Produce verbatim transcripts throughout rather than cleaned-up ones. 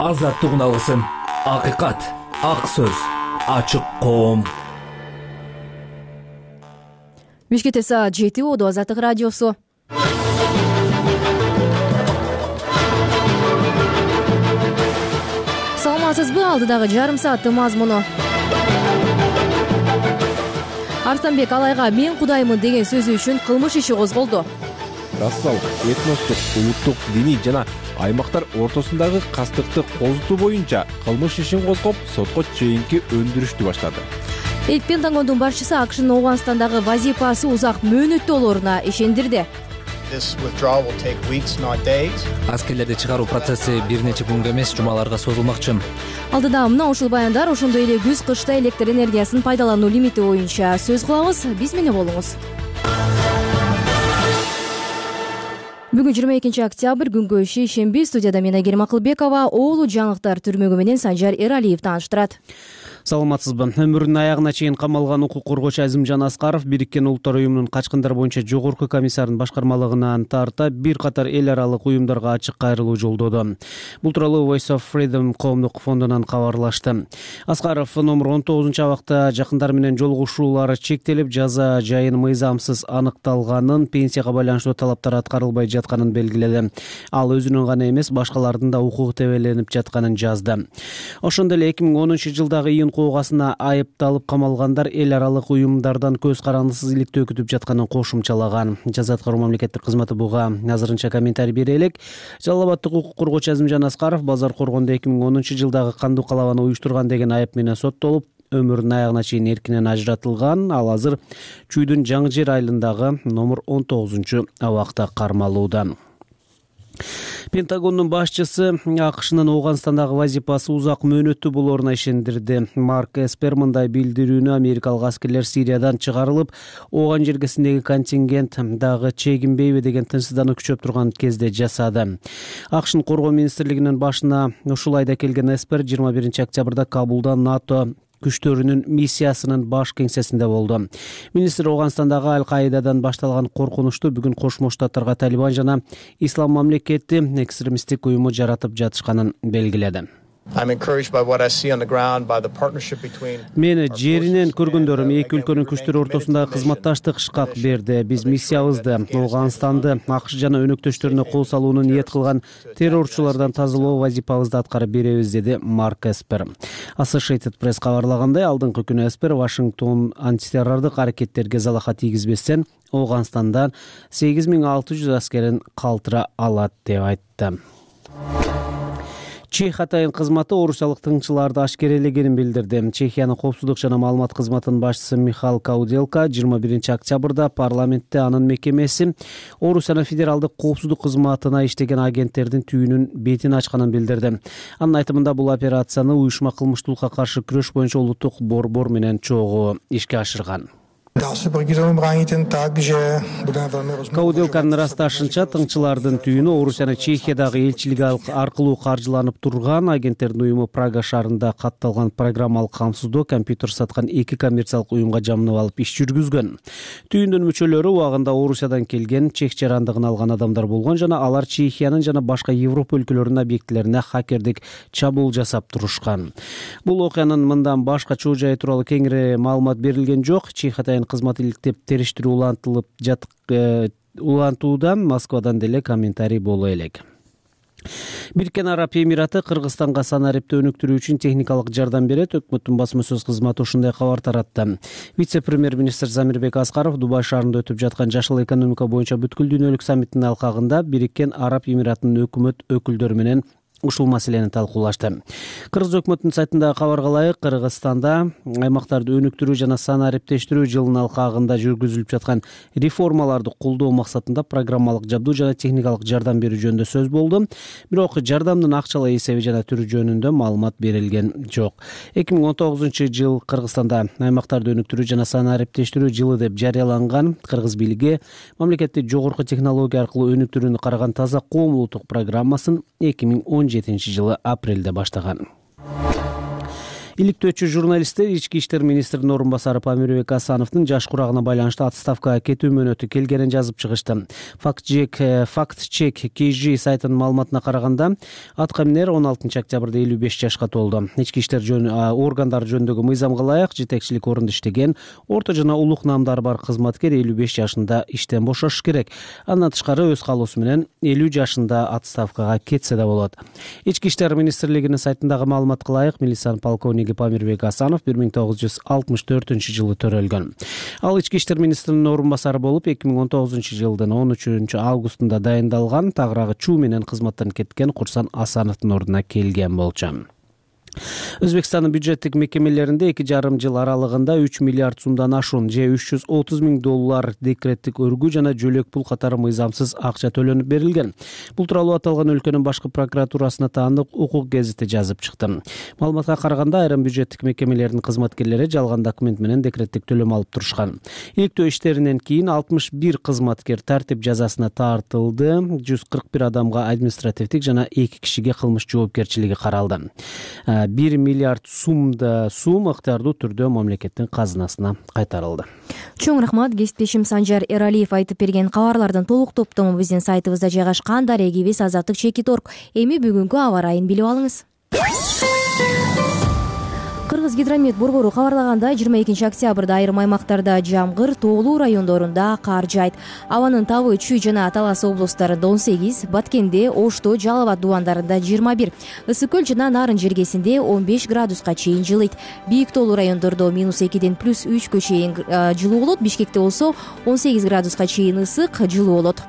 Азаттыгын алгысың. Акыйкат, ак сөз, ачык коом. Бишкекте саат жети болду. Азаттык радиосу. Саламатсызбы? Алдыдагы жарым сааттын мазмуну. Арстанбек Алайга мен кудаймын деген сөзү үчүн кылмыш иши козголду. Расалык, этностук, улуттук, диний жана аймактар ортосундагы кастыкты козутуу боюнча кылмыш ишин козгоп, сотко чейинки өндүрүштү баштады. Эл Пентагондун башчысы АКШнын Ооганстандагы вазифасы узак мөөнөттүү болоруна ишендирди. Аскерлерди чыгаруу процесси бир нече күнгө эмес, жумаларга созулмакчы. Алдыда мына ушул баяндар, ошондой эле күз кышта электр энергиясын пайдалануу лимити боюнча сөз кылабыз. Биз менен болуңуз. Бүгүн жыйырма экинчи октябрь, күнгө шейшемби. Студияда мен Айгерим Акылбекова, оолу жаңылыктар түрмөгү менен Санжар Эралиев тааныштырат. Саламатсызбы? Өмүрүнүн аягына чейин камалган укук коргоочу Азимжан Аскаров Бириккен Улуттар уюмунун качкындар боюнча жогорку комиссарынын башкармалыгынан тарта бир катар эл аралык уюмдарга ачык кайрылуу жолдоду. Бул тууралуу Voice of Freedom коомдук фондунан кабарлашты. Аскаров номер он тогузунчу абакта жакындар менен жолугушуулар чектелип, жаза жайын мыйзамсыз аныкталганын, пенсияга байланыштуу талаптар аткарылбай жатканын белгиледи. Ал өзүнүн гана эмес, башкалардын да укугу тебеленип жатканын жазды. Ошондой эле эки миң онунчу жылдагы июнь куугасына айыпталып камалгандар эл аралык уюмдардан көз карандысыз иликтөө күтүп жатканын кошумчалаган. Жаза аткаруу мамлекеттик кызматы буга азырынча комментарий бере элек. Жалал Абадтык укук коргоочу Азимжан Аскаров базар коргондо эки миң онунчу жылдагы кандуу калабаны уюштурган деген айып менен соттолуп, өмүрүнүн аягына чейин эркинен ажыратылган. Ал азыр Чүйдүн Жаңы Жер айылындагы номер он тогузунчу абакта кармалууда. Пентагондун башчысы АКШнын Ооганстандагы вазифасы узак мөөнөттүү болоруна ишендирди. Марк Эспер мындай билдирүүнү америкалык аскерлер Сириядан чыгарылып, Ооган жергесиндеги контингент дагы чегинбейби деген тынчсыздануу күчөп турган кезде жасады. АКШнын коргоо министрлигинин башына ушул айда келген Эспер жыйырма биринчи октябрда Кабулда НАТО күчтөрүнүн миссиясынын баш кеңсесинде болду. Министр Ооганстандагы Аль-Каидадан башталган коркунучту бүгүн Кошмо Штаттарга Талибан жана Ислам мамлекети экстремисттик уюму жаратып жатышканын белгиледи. Мени жеринен көргөндөрүм эки өлкөнүн күчтөрү ортосундагы кызматташтык шкак берди. Биз миссиябызды Ооганстанды АКШ жана өнөктөштөрүнө кол салууну ниет кылган террорчулардан тазалоо вазифабызды аткарып беребиз, деди Марк Эспер. Associated Press кабарлагандай, алдыңкы күнү Эспер Вашингтон антитеррордук аракеттерге залаха тийгизбестен Ооганстандан сегиз миң алты жүз аскерин калтыра алат деп айтты. Чех атайын кызматы орусиялык тыңчыларды ашкерелегенин билдирди. Чехиянын коопсуздук жана маалымат кызматынын башчысы Михаил Кауделка жыйырма биринчи октябрда парламентте анын мекемеси Орусиянын федералдык коопсуздук кызматына иштеген агенттердин түйүнүн бетин ачканын билдирди. Анын айтымында бул операцияны уюшма кылмыштуулукка каршы күрөш боюнча улуттук борбор менен чогуу ишке ашырган. Кауделканын ырасташынча, тыңчылардын түйүнү Орусиянын Чехиядагы элчилиги аркылуу каржыланып турган. Агенттердин уюму Прага шаарында катталган программалык камсыздоо компьютер саткан эки коммерциялык уюмга жамынып алып иш жүргүзгөн. Түйүндүн мүчөлөрү убагында Орусиядан келген, чех жарандыгын алган адамдар болгон жана алар Чехиянын жана башка Европа өлкөлөрүнүн объектилерине хакердик чабуул жасап турушкан. Бул окуянын мындан башка чоо жайы тууралуу кеңири маалымат берилген жок. Чех атайын кызмат иликтеп териштирүү улантылып жатык улантуудан Москвадан деле комментарий боло элек. Бириккен Араб Эмираты Кыргызстанга санарипти өнүктүрүү үчүн техникалык жардам берет. Өкмөттүн басма сөз кызматы ушундай кабар таратты. Вице-премьер-министр Замирбек Аскаров Дубай шаарында өтүп жаткан жашыл экономика боюнча бүткүл дүйнөлүк саммиттин алкагында Бириккен Араб Эмиратынын өкмөт өкүлдөрү менен ушул маселени талкуулашты. Кыргыз өкмөтүнүн сайтындагы кабарга ылайык, Кыргызстанда аймактарды өнүктүрүү жана санариптештирүү жылынын алкагында жүргүзүлүп жаткан реформаларды колдоо максатында программалык жабдуу жана техникалык жардам берүү жөнүндө сөз болду. Бирок жардамдын акчалай эсеби жана түрү жөнүндө маалымат берилген жок. эки миң он тогузунчу жыл Кыргызстанда аймактарды өнүктүрүү жана санариптештирүү жылы деп жарыяланган. Кыргыз бийлиги мамлекетти жогорку технология аркылуу өнүктүрүүнү караган таза коом улуттук программасын эки миң он жетинчи жылы апрелде баштаган. Иликтөөчү журналисттер ички иштер министринин орун басары Памирбек Асановдун жаш курагына байланыштуу отставкага кетүү мөөнөтү келгенин жазып чыгышты. Фактчек кей жи сайтынын маалыматына караганда аткаминер он алтынчы октябрда элүү беш жашка толду. Ички иштер органдары жөнүндөгү мыйзамга ылайык жетекчилик орунда иштеген орто жана улук наамдары бар кызматкер элүү беш жашында иштен бошош керек. Андан тышкары өз каалоосу менен элүү жашында отставкага кетсе да болот. Ички иштер министрлигинин сайтындагы маалыматка ылайык милициянын полковниги Памирбек Асанов бир миң тогуз жүз алтымыш төртүнчү жылы төрөлгөн. Ал ички иштер министринин орун басары болуп эки миң он тогузунчу жылдын он үчүнчү августунда дайындалган, тагыраагы чуу менен кызматтан кеткен Курсан Асановдун ордуна келген болчу. Өзбекстандын бюджеттик мекемелеринде эки жарым жыл аралыгында үч миллиард сумдан ашуун же үч жүз отуз миң доллар декреттик өргүү жана жөлөк пул катары мыйзамсыз акча төлөнүп берилген. Бул тууралуу аталган өлкөнүн башкы прокуратурасына таандык укук гезити жазып чыкты. Маалыматка караганда айрым бюджеттик мекемелердин кызматкерлери жалган документ менен декреттик төлөм алып турушкан. Иликтөө иштеринен кийин алтымыш бир кызматкер тартип жазасына тартылды. жүз кырк бир адамга административдик жана эки кишиге кылмыш жоопкерчилиги каралды. бир миллиард сумда сум ыктыярдуу түрдө мамлекеттин казынасына кайтарылды. Чоң рахмат. Кесиптешим Санжар Эралиев айтып берген кабарлардын толук топтому биздин сайтыбызда жайгашкан. Дарегибиз азаттык чекит точка орг. Эми бүгүнкү аба ырайын билип алыңыз. Кыргыз гидромет борбору кабарлагандай, жыйырма экинчи октябрда айрым аймактарда жамгыр, тоолуу райондорунда кар жаайт. Абанын табы Чүй жана Талас облустарында он сегиз, Баткенде, Ошто, Жалал Абад дубандарында жыйырма бир, Ысык көл жана Нарын жергесинде он беш градуска чейин жылыйт. Бийик тоолуу райондордо минус экиден плюс үчкө чейин жылуу болот. Бишкекте болсо он сегиз градуска чейин ысык, жылуу болот.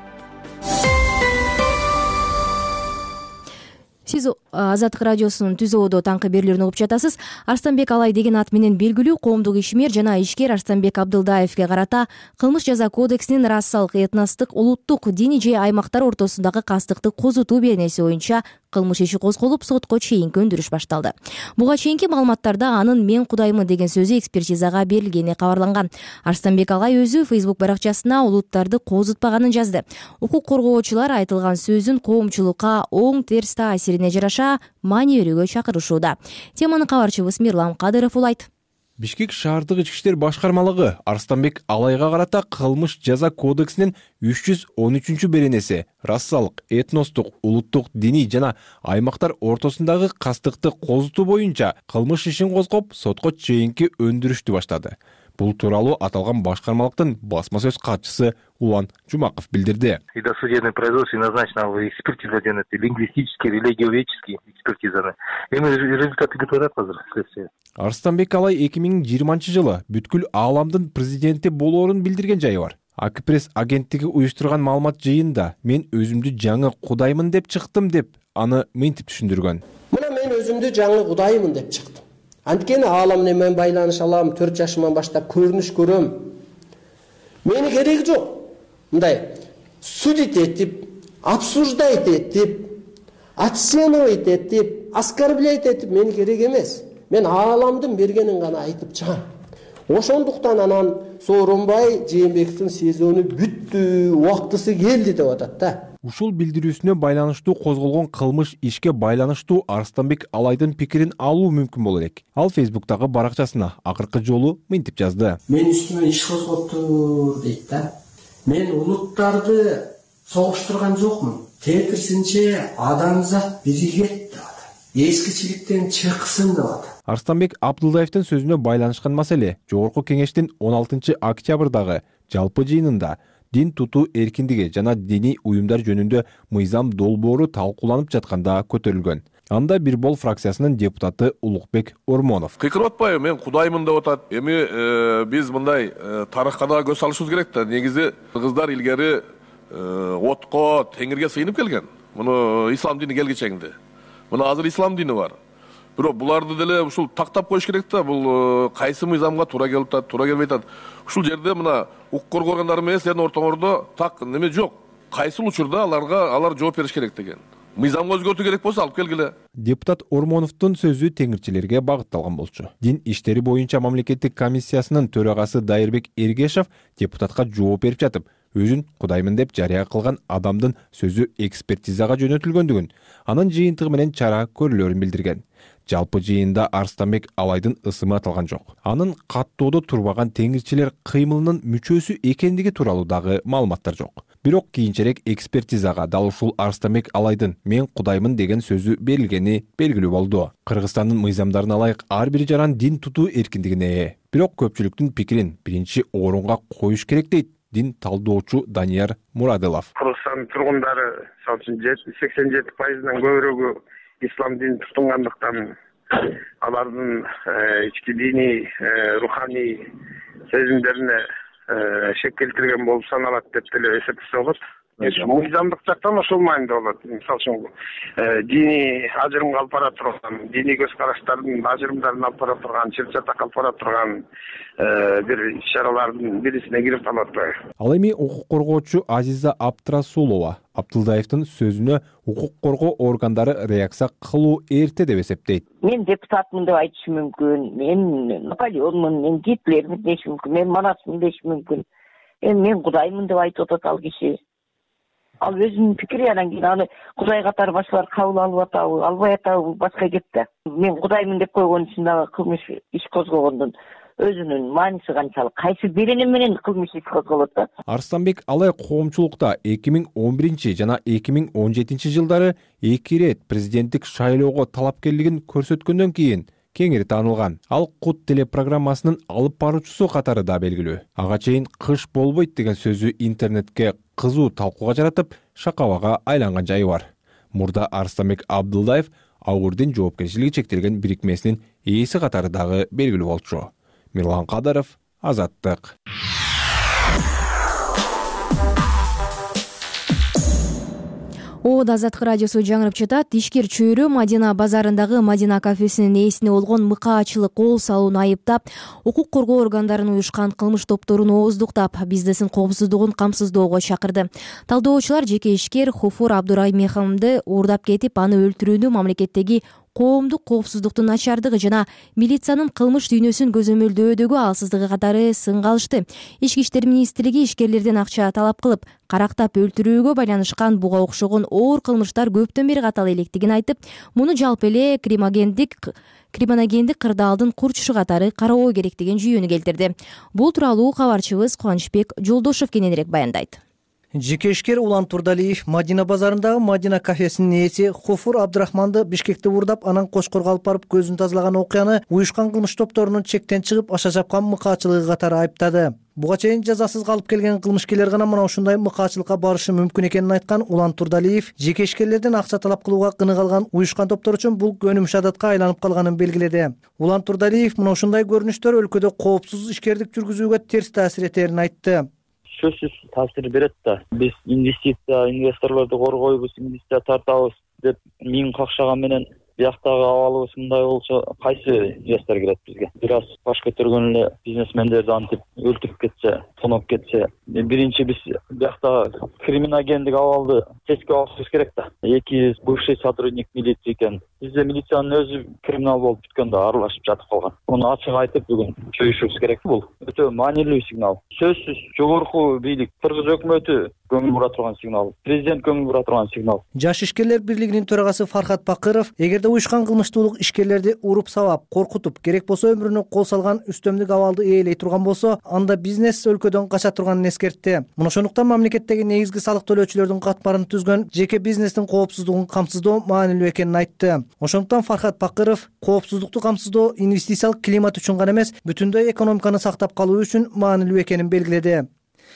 Сиз Азаттык радиосунун түзөөдө таңкы берүүлөрүн угуп жатасыз. Арстанбек Алай деген ат менен белгилүү коомдук ишмер жана ишкер Арстанбек Абдылдаевге карата Кылмыш жаза кодексинин расалык, этностук, улуттук, диний же аймактар ортосундагы кастыкты козутуу беренеси боюнча кылмыш иши козголуп, сотко чейинки өндүрүш башталды. Буга чейинки маалыматтарда анын "мен Кудаймын" деген сөзү экспертизага берилгени кабарланган. Арстанбек Алай өзү Facebook баракчасына улуттарды козутпаганын жазды. Укук коргоочулар айтылган сөзүн коомчулукка оң терс таасирине жараша маани берүүгө чакырышууда. Теманы кабарчыбыз Мирлан Кадыров улайт. Бишкек шаардык ички иштер башкармалыгы Арстанбек Алайга карата кылмыш жаза кодексинин үч жүз он үчүнчү беренеси расалык, этностук, улуттук, диний жана аймактар ортосундагы кастыкты козутуу боюнча кылмыш ишин козгоп, сотко чейинки өндүрүштү баштады. Бул тууралуу аталган башкармалыктын басма сөз катчысы Улан Жумаков билдирди. И досудебное производство назначено в экспертиза делает лингвистические, религиоведческие экспертизаны. Эми результаты готовят азыр следствие. Арстанбек Алай эки миң жыйырманчы жылы бүткүл ааламдын президенти болоорун билдирген жайы бар. Акпресс агенттиги уюштурган маалымат жыйынында мен өзүмдү жаңы Кудаймын деп чыктым деп аны мынтип түшүндүргөн. Мына мен өзүмдү жаңы Кудаймын деп чыктым. Анткени aalам менен байланыш алам, төрт жашыман баштап көрүнүш көрөм. Мени кереги жок. Мындай судить этип, обсуждать этип, оценивать этип, оскорблять этип мени керек эмес. Мен ааламдын бергенин гана айтып чыгам. Ошондуктан анан Сооронбай Жээнбековдун сезону бүттү, убактысы келди деп атат да. Ушул билдирүүсүнө байланыштуу козголгон кылмыш ишке байланыштуу Арстанбек Алайдын пикирин алуу мүмкүн болот элек. Ал Facebook'тагы баракчасына акыркы жолу мынтип жазды. Мен үстүмө иш козгоптур дейт да. Мен улуттарды согуштурган жокмун. Тетирсинче адамзат биригет деп атат. Эскичиликтен чыксын деп атат. Арстанбек Абдылдаевдин сөзүнө байланышкан маселе Жогорку кеңештин он алтынчы октябрдагы жалпы жыйынында дин тутуу эркиндиги жана диний уюмдар жөнүндө мыйзам долбоору талкууланып жатканда көтөрүлгөн. Анда бир бол фракциясынын депутаты Улукбек Ормонов. Кыйкырып атпайбы, мен Кудаймын деп атат. Эми биз мындай тарыхка да көз салышыбыз керек да. Негизи кыргыздар илгери отко, теңирге сыйынып келген. Муну ислам дини келгичеңди. Муну азыр ислам дини бар. Бирок буларды деле ушул тактап коюш керек да. Бул кайсы мыйзамга туура келип атат, туура келбей атат. Ушул жерде мына укук коргоо органдары менен силердин ортоңордо так неме жок. Кайсыл учурда аларга алар жооп бериш керек деген. Мыйзамга өзгөртүү керек болсо алып келгиле. Депутат Ормоновдун сөзү теңирчилерге багытталган болчу. Дин иштери боюнча мамлекеттик комиссиясынын төрагасы Дайырбек Эргешев депутатка жооп берип жатып, өзүн Кудаймын деп жарыя кылган адамдын сөзү экспертизага жөнөтүлгөндүгүн, анын жыйынтыгы менен чара көрүлөрүн билдирген. Жалпы жыйында Арстанбек Алайдын ысымы аталган жок. Анын каттоодо турбаган теңирчилер кыймылынын мүчөсү экендиги тууралуу дагы маалыматтар жок. Бирок кийинчерээк экспертизага дал ушул Арстанбек Алайдын "мен кудаймын" деген сөзү берилгени белгилүү болду. Кыргызстандын мыйзамдарына ылайык ар бир жаран дин тутуу эркиндигине ээ. Бирок көпчүлүктүн пикирин биринчи орунга коюш керек дейт дин талдоочу Данияр Мурадылов. Кыргызстан тургундары мисалы үчүн сексен жети пайызынан көбүрөөгү ислам динин тутунгандыктан алардын ички диний, руханий сезимдерине шек келтирген болуп саналат деп деле эсептесе болот. Мыйзамдык жактан ошол маанилде болот. Мисалы үчүн диний ажырымга алып бара турган, диний көз караштардын ажырымдарын алып бара турган, чыр чатак алып бара турган бир иш-чаралардын бирисине кирип калат. Ал эми укук коргоочу Азиза Абдрасулова Абдылдаевдин сөзүнө укук коргоо органдары реакция кылуу эрте деп эсептейт. Мен депутатмын деп айтышым мүмкүн, мен Наполеонмун, мен Гитлермин дешим мүмкүн, мен Манасмын дешим мүмкүн. Эми мен Кудаймын деп айтып атат ал киши. Ал өзүнүн пикири, анан кийин аны Кудай катары башкалар кабыл алып атабы, албай атабы, бул башка кеп да. Мен Кудаймын деп койгон үчүн дагы кылмыш иш козгогондун өзүнүн мааниси канчалык, кайсы береним менен кылмыш иш козголот да. Арстанбек Алай коомчулукта эки миң он биринчи жана эки миң он жетинчи жылдары эки ирет президенттик шайлоого талапкерлигин көрсөткөндөн кийин кеңири таанылган. Ал Кут телепрограммасынын алып баруучусу катары да белгилүү. Ага чейин кыш болбойт деген сөзү интернетке кызуу талкууга жаратып, шакабага айланган жайы бар. Мурда Арстанбек Абдылдаев Ауырдин жоопкерчилиги чектелген бирикмесинин ээси катары дагы белгилүү болчу. Мирлан Кадаров, Азаттык. О Азаттык радиосу жаңырып жатат. Ишкер чөйрө Мадина базарындагы Мадина кафесинин ээсине болгон мыкаачылык кол салууну айыптап, укук коргоо органдарынын уюшкан кылмыш топторун ооздуктап, бизнестин коопсуздугун камсыздоого чакырды. Талдоочулар жеке ишкер Хуфур Абдураймеханды уурдап кетип, аны өлтүрүүнү мамлекеттеги коомдук коопсуздуктун начардыгы жана милициянын кылмыш дүйнөсүн көзөмөлдөөдөгү алсыздыгы катары сынга алышты. Ички иштер министрлиги ишкерлерден акча талап кылып, карактап өлтүрүүгө байланышкан буга окшогон оор кылмыштар көптөн бери каталы электигин айтып, муну жалпы эле криминогендик криминогендик кырдаалдын курчушу катары кароо керек деген жүйөнү келтирди. Бул тууралуу кабарчыбыз Кубанычбек Жолдошов кененирээк баяндайт. Жеке ишкер Улан Турдалиев Мадина базарындагы Мадина кафесинин ээси Хуфур Абдрахманды Бишкекте уурдап, анан Кошкорго алып барып көзүн тазалаган окуяны уюшкан кылмыш топторунун чектен чыгып аша жапкан мыкаачылыгы катары айыптады. Буга чейин жазасыз калып келген кылмышкерлер гана мына ушундай мыкаачылыкка барышы мүмкүн экенин айткан Улан Турдалиев жеке ишкерлерден акча талап кылууга кыны калган уюшкан топтор үчүн бул көнүмүш адатка айланып калганын белгиледи. Улан Турдалиев мына ушундай көрүнүштөр өлкөдө коопсуз ишкердик жүргүзүүгө терс таасир этерин айтты. Сөзсүз таасир берет да. Биз инвестиция, инвесторлорду коргойбуз, инвестиция тартабыз деп миң какшаган менен бияктагы абалыбыз мындай болсо кайсы инвестор келет бизге? Бир аз баш көтөргөн эле бизнесмендерди антип өлтүрүп кетсе, тоноп кетсе, биринчи биз биякта криминогендик абалды тескип алышыбыз керек да. Эки бывший сотрудник милиции экен. Бизде милициянын өзү криминал болуп бүткөн да, аралашып жатып калган. Муну ачык айтып бүгүн чөйүшүбүз керек. Бул өтө маанилүү сигнал. Сөзсүз жогорку бийлик, Кыргыз өкмөтү көңүл бура турган сигнал, президент көңүл бура турган сигнал. Жаш ишкерлер бирлигинин төрагасы Фархат Бакыров эгерде уюшкан кылмыштуулук ишкерлерди уруп сабап, коркутуп, керек болсо өмүрүнө кол салган үстөмдүк абалды ээлей турган болсо, анда бизнес өлкөдөн кача турганын эскертти. Мына ошондуктан мамлекеттеги негизги салык төлөөчүлөрдүн катмарын түзгөн жеке бизнестин коопсуздугун камсыздоо маанилүү экенин айтты. Ошондуктан Фархат Бакыров коопсуздукту камсыздоо инвестициялык климат үчүн гана эмес, бүтүндөй экономиканы сактап калуу үчүн маанилүү экенин белгиледи.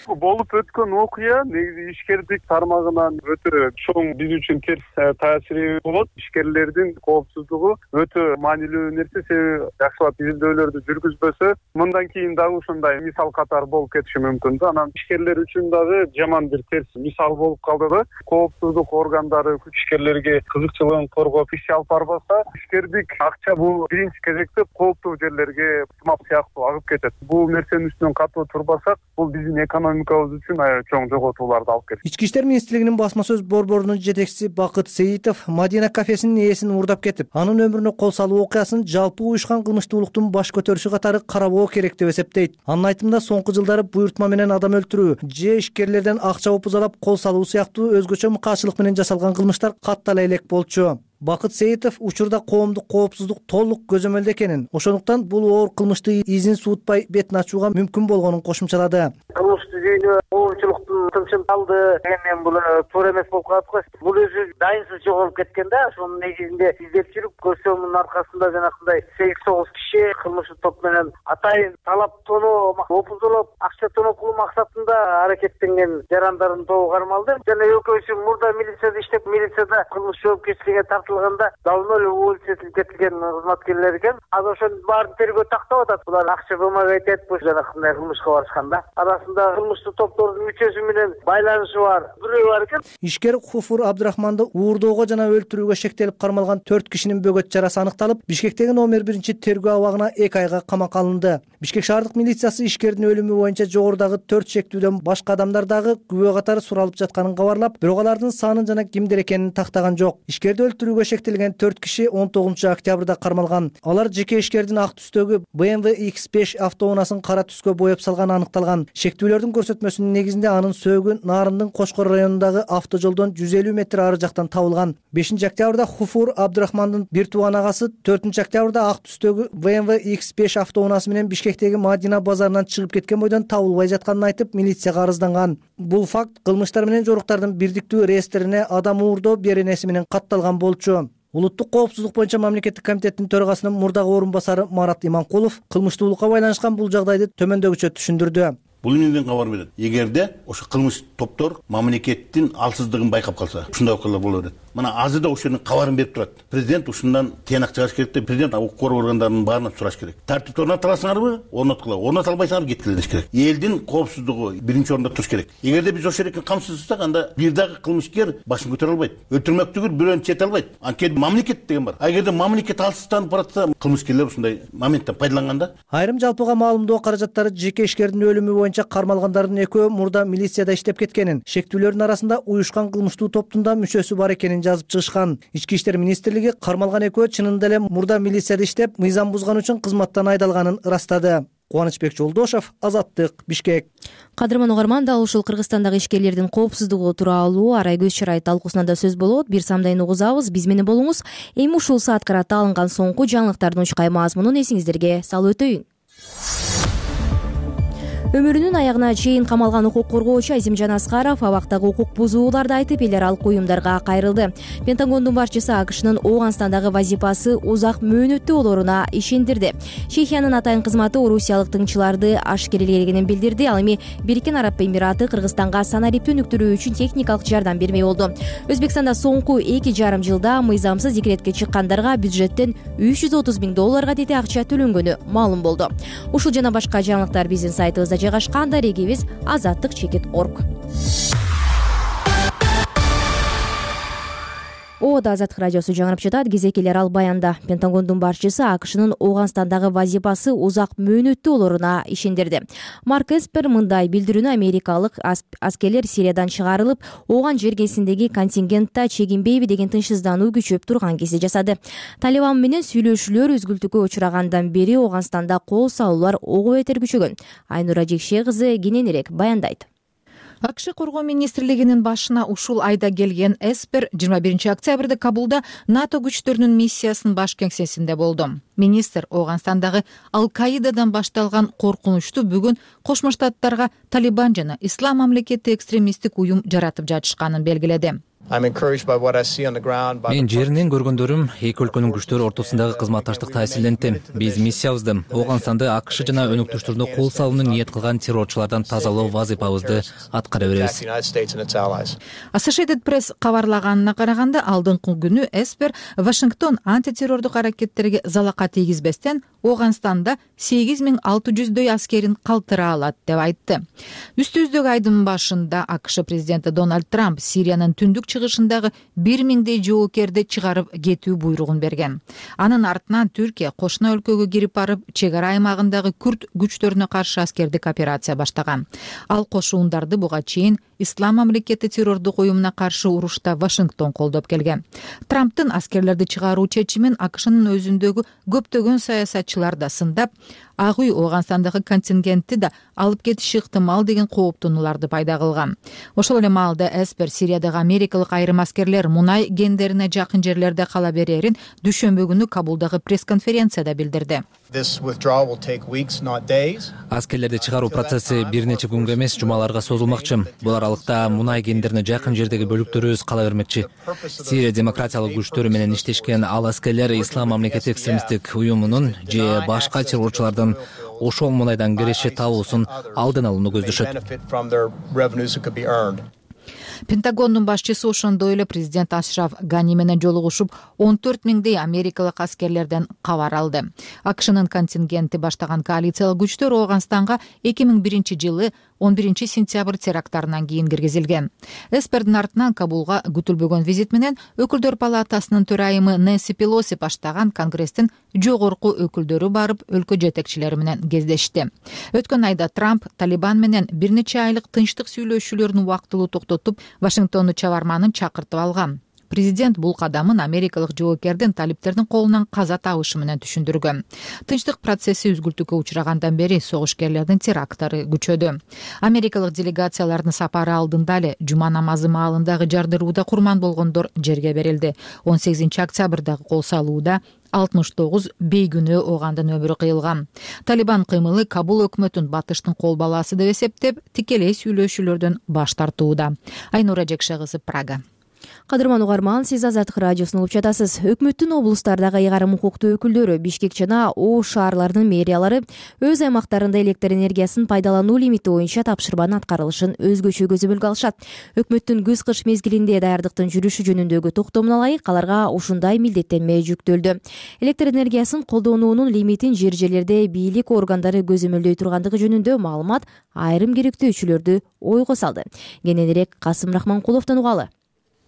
Болуп өткөн окуя негизи ишкердик тармагынан өтө чоң биз үчүн терс таасири болот. Ишкерлердин коопсуздугу өтө маанилүү нерсе, себеби жакшылап изилдөөлөрдү жүргүзбөсө, мындан кийин дагы ушундай мисал катары болуп кетиши мүмкүн да. Анан ишкерлер үчүн дагы жаман бир терс мисал болуп калды да. Коопсуздук органдары ишкерлерге кызыкчылыгын коргоп иш алып барбаса, ишкердик акча бул биринчи кезекте кооптуу жерлерге тымак сыяктуу агып кетет. Бул нерсенин үстүнөн катуу турбасак, бул биздин экономикабыз үчүн чоң жоготууларды алып келет. Ички иштер министрлигинин басма сөз борборунун жетекчиси Бакыт Сейитов Мадина кафесинин ээсин уурдап кетип, анын өмүрүнө кол салуу окуясын жалпы уюшкан кылмыштуулуктун баш көтөрүшү катары карабоо керек деп эсептейт. Анын айтымында соңку жылдары буйртма менен адам өлтүрүү, же ишкерлерден акча упузалап кол салуу сыяктуу өзгөчө мыкаачылык менен жасалган кылмыштар каттала элек болчу. Бакыт Сейитов учурда коомдук коопсуздук толук көзөмөлдө экенин, ошондуктан бул оор кылмыштын изин суутпай бетин ачууга мүмкүн болгонун кошумчалады. Кылмыштуу жүйүнө коомчулуктун тынчын алды, эми бул туура эмес болуп калат го. Бул өзү дайынсыз жоголуп кеткен да, ошонун негизинде издеп жүрүп көрсөмүн аркасында жанагындай сегиз тогуз киши кылмыштуу топ менен атайын талап тоноо, опуздолоп, акча тоноо кылуу максатында аракеттенген жарандардын тобу кармалды. Жана экөөсү мурда милицияда иштеп, милицияда кылмыш жоопкерчиликке тартылганда давно эле уволить кетилген кызматкерлер экен. Азыр ошонун баарын тергөө тактап атат. Булар акча бөлмөгө айтат, бул жанагындай кылмышка барышканда. Арасында кылмыштуу топтордун үчөөсү менен байланышы бар, бирөө бар экен. Ишкер Хуфур Абдрахманды уурдоого жана өлтүрүүгө шектелип кармалган төрт кишинин бөгөт жарасы аныкталып, Бишкектеги номер биринчи тергөө абагына эки айга камакка алынды. Бишкек шаардык милициясы ишкердин өлүмү боюнча жогорудагы төрт шектүүдөн башка адамдар дагы күбө катары суралып жатканын кабарлап, бирок алардын санын жана кимдер экенин тактаган жок. Ишкерди өлтүрүүгө шектелген төрт киши он тогузунчу октябрда кармалган. Алар жеке ишкердин ак түстөгү бэ эм вэ икс беш автоунаасын кара түскө боеп салганы аныкталган. Шектүүлөрдүн көрсөтмөсүнүн негизинде анын сөөгү Нарындын Кошкор районундагы автожолдон жүз элүү метр ары жактан табылган. бешинчи октябрда Хуфур Абдрахмандын бир тууган агасы төртүнчү октябрда ак түстөгү бэ эм вэ икс беш автоунаасы менен Бишкектеги Мадина базарынан чыгып кеткен бойдон табылбай жатканын айтып, милицияга арызданган. Бул факт кылмыштар менен жоруктардын бирдиктүү реестрине адам уурдоо беренеси менен катталган болчу. Улуттук коопсуздук боюнча мамлекеттик комитеттин төрагасынын мурдагы орун басары Марат Иманкулов кылмыштуулукка байланышкан бул жагдайды төмөндөгүчө түшүндүрдү. Бул эмнеден кабар берет? Эгерде ошо кылмыш топтор мамлекеттин алсыздыгын байкап калса, ушундай окуялар боло берет. Мына азыр да ошонун кабарын берип турат. Президент ушундан тыянак чыгарыш керек деп, президент укук коргоо органдарынын баарынан сураш керек. Тартипти орнотуласыңарбы? Орноткула. Орното албайсыңар кеткиле деш керек. Элдин коопсуздугу биринчи орунда туруш керек. Эгерде биз ошол эркин камсыздасак, анда бир дагы кылмышкер башын көтөрө албайт. Өлтүрмөктүгүр бирөөнү чете албайт. Анткени мамлекет деген бар. А эгерде мамлекет алсызданып баратса, кылмышкерлер ушундай моменттен пайдаланганда. Айрым жалпыга маалымдоо каражаттары жеке ишкердин өлүмү боюнча кармалгандардын экөө мурда милицияда иштеп кеткенин, шектүүлөрдүн арасында уюшкан кылмыштуу топтун да мүчөсү бар экенин жазып чыгышкан. Ички иштер министрлиги кармалган экөө чынында эле мурда милицияда иштеп, мыйзам бузган үчүн кызматтан айдалганын ырастады. Кубанычбек Жолдошов, Азаттык, Бишкек. Кадырман угарман, дал ушул Кыргызстандагы ишкерлердин коопсуздугу тууралуу Арай Көз Чырай талкуусунда сөз болот. Бир самдайын угузабыз, биз менен болуңуз. Эми ушул саат карата алынган соңку жаңылыктардын учкай мазмунун эсиңиздерге салып өтөйүн. Өмүрүнүн аягына чейин камалган укук коргоочу Азимжан Аскаров абактагы укук бузууларды айтып, эл аралык уюмдарга кайрылды. Пентагондун башчысы АКШнын Ооганстандагы вазифасы узак мөөнөттүү болоруна ишендирди. Чехиянын атайын кызматы орусиялык тыңчыларды ашкерелегенин билдирди. Ал эми Бириккен Араб Эмираты Кыргызстанга санариптүү өнүктүрүү үчүн техникалык жардам бермей болду. Өзбекстанда соңку эки жарым жылда мыйзамсыз декретке чыккандарга бюджеттен үч жүз отуз миң долларга тети акча төлөнгөнү маалым болду. Ушул жана башка жаңылыктар биздин сайтыбызда жайгашкан. Дарегибиз азаттык чекит точка орг. Ода Азаттык радиосу жаңырып жатат. Кезекелер ал баянда. Пентагондун башчысы АКШнын Ооганстандагы вазифасы узак мөөнөттүү болоруна ишендирди. Марк Эспер мындай билдирүүнү америкалык аскерлер Сириядан чыгарылып, Ооган жергесиндеги контингентте чегинбейби деген тынчсыздануу күчөп турган кезде жасады. Талибан менен сүйлөшүүлөр үзгүлтүккө учурагандан бери Ооганстанда кол салуулар ого бетер күчөгөн. Айнура Жекше кызы кененирээк баяндайт. АКШ коргоо министрлигинин башына ушул айда келген Эспер жыйырма биринчи октябрда Кабулда НАТО күчтөрүнүн миссиясынын баш кеңсесинде болду. Министр Ооганстандагы Ал-Каидадан башталган коркунучту бүгүн Кошмо Штаттарга Талибан жана Ислам мамлекети экстремисттик уюм жаратып жатышканын белгиледи. Мен жеринен көргөндөрүм эки өлкөнүн күчтөрү ортосундагы кызматташтык таасирлентти. Биз миссиябызды Ооганстанды АКШ жана өнөктөштөрүнө кол салууну ниет кылган террорчулардан тазалоо вазифабызды аткара беребиз. Associated Press кабарлаганына караганда, алдыңкы күнү Эспер Вашингтон антитеррордук аракеттерге залака тийгизбестен Ооганстанда сегиз миң алты жүздөй аскерин калтыра алат деп айтты. Үстүбүздөгү айдын башында АКШ президенти Дональд Трамп Сириянын түндүк чыгышындагы бир миңдей жоокерди чыгарып кетүү буйругун берген. Анын артынан Түркия кошуна өлкөгө кирип барып, чек ара аймагындагы күрд күчтөрүнө каршы аскердик операция баштаган. Ал кошуундарды буга чейин Ислам мамлекети террордук уюмуна каршы урушта Вашингтон колдоп келген. Трамптын аскерлерди чыгаруу чечимин АКШнын өзүндөгү көптөгөн саясатчылар да сындап, Ак үй Ооганстандагы контингентти да алып кетиши ыктымал деген кооптонууларды пайда кылган. Ошол эле маалда эспер Сириядагы америкалык айрым аскерлер мунай кендерине жакын жерлерде кала берерин дүйшөмбү күнү Кабулдагы пресс-конференцияда билдирди. Аскерлерди чыгаруу процесси бир нече күнгө эмес, жумаларга созулмакчы. Бул аралыкта мунай кендерине жакын жердеги бөлүктөрүбүз кала бермекчи. Сирия демократиялык күчтөрү менен иштешкен ал аскерлер Ислам мамлекети экстремисттик уюмунун же башка террорчулардын ошол мунайдан киреше табуусун алдын алууну көздөшөт. Пентагондун башчысы ошондой эле президент Ашраф Гани менен жолугушуп, он төрт миңдей америкалык аскерлерден кабар алды. АКШнын контингенти баштаган коалициялык күчтөр Ооганстанга эки миң биринчи жылы он биринчи сентябрь терактарынан кийин киргизилген. Эспердин артынан Кабулга күтүлбөгөн визит менен Өкүлдөр палатасынын төрайымы Нэнси Пелоси баштаган Конгресстин жогорку өкүлдөрү барып, өлкө жетекчилери менен кездешти. Өткөн айда Трамп Талибан менен бир нече айлык тынчтык сүйлөшүүлөрүн убактылуу токтотуп, Вашингтонду чабарманын чакыртып алган. Президент бул кадамын америкалык жоокердин талиптердин колунан каза табышы менен түшүндүргөн. Тынчтык процесси үзгүлтүккө учурагандан бери согушкерлердин теракттары күчөдү. Америкалык делегациялардын сапары алдында эле жума намазы маалындагы жардырууда курман болгондор жерге берилди. он сегизинчи октябрдагы кол салууда алтымыш тогуз бейгүнөө оогандын өмүрү кыйылган. Талибан кыймылы Кабул өкмөтүн батыштын кол баласы деп эсептеп, тикелей сүйлөшүүлөрдөн баш тартууда. Айнура Жекшегызы, Прага. Кадырман угарман, сиз Азаттык радиосун угуп жатасыз. Өкмөттүн облустардагы ыйгарым укуктуу өкүлдөрү Бишкек жана Ош шаарларынын мэриялары өз аймактарында электр энергиясын пайдалануу лимити боюнча тапшырманын аткарылышын өзгөчө көзөмөлгө алышат. Өкмөттүн күз-кыш мезгилинде даярдыктын жүрүшү жөнүндөгү токтомуна ылайык аларга ушундай милдеттенме жүктөлдү. Электр энергиясын колдонуунун лимитин жер жерлерде бийлик органдары көзөмөлдөй тургандыгы жөнүндө маалымат айрым керектөөчүлөрдү ойго салды. Кененирээк Касым Рахманкуловдон угалы.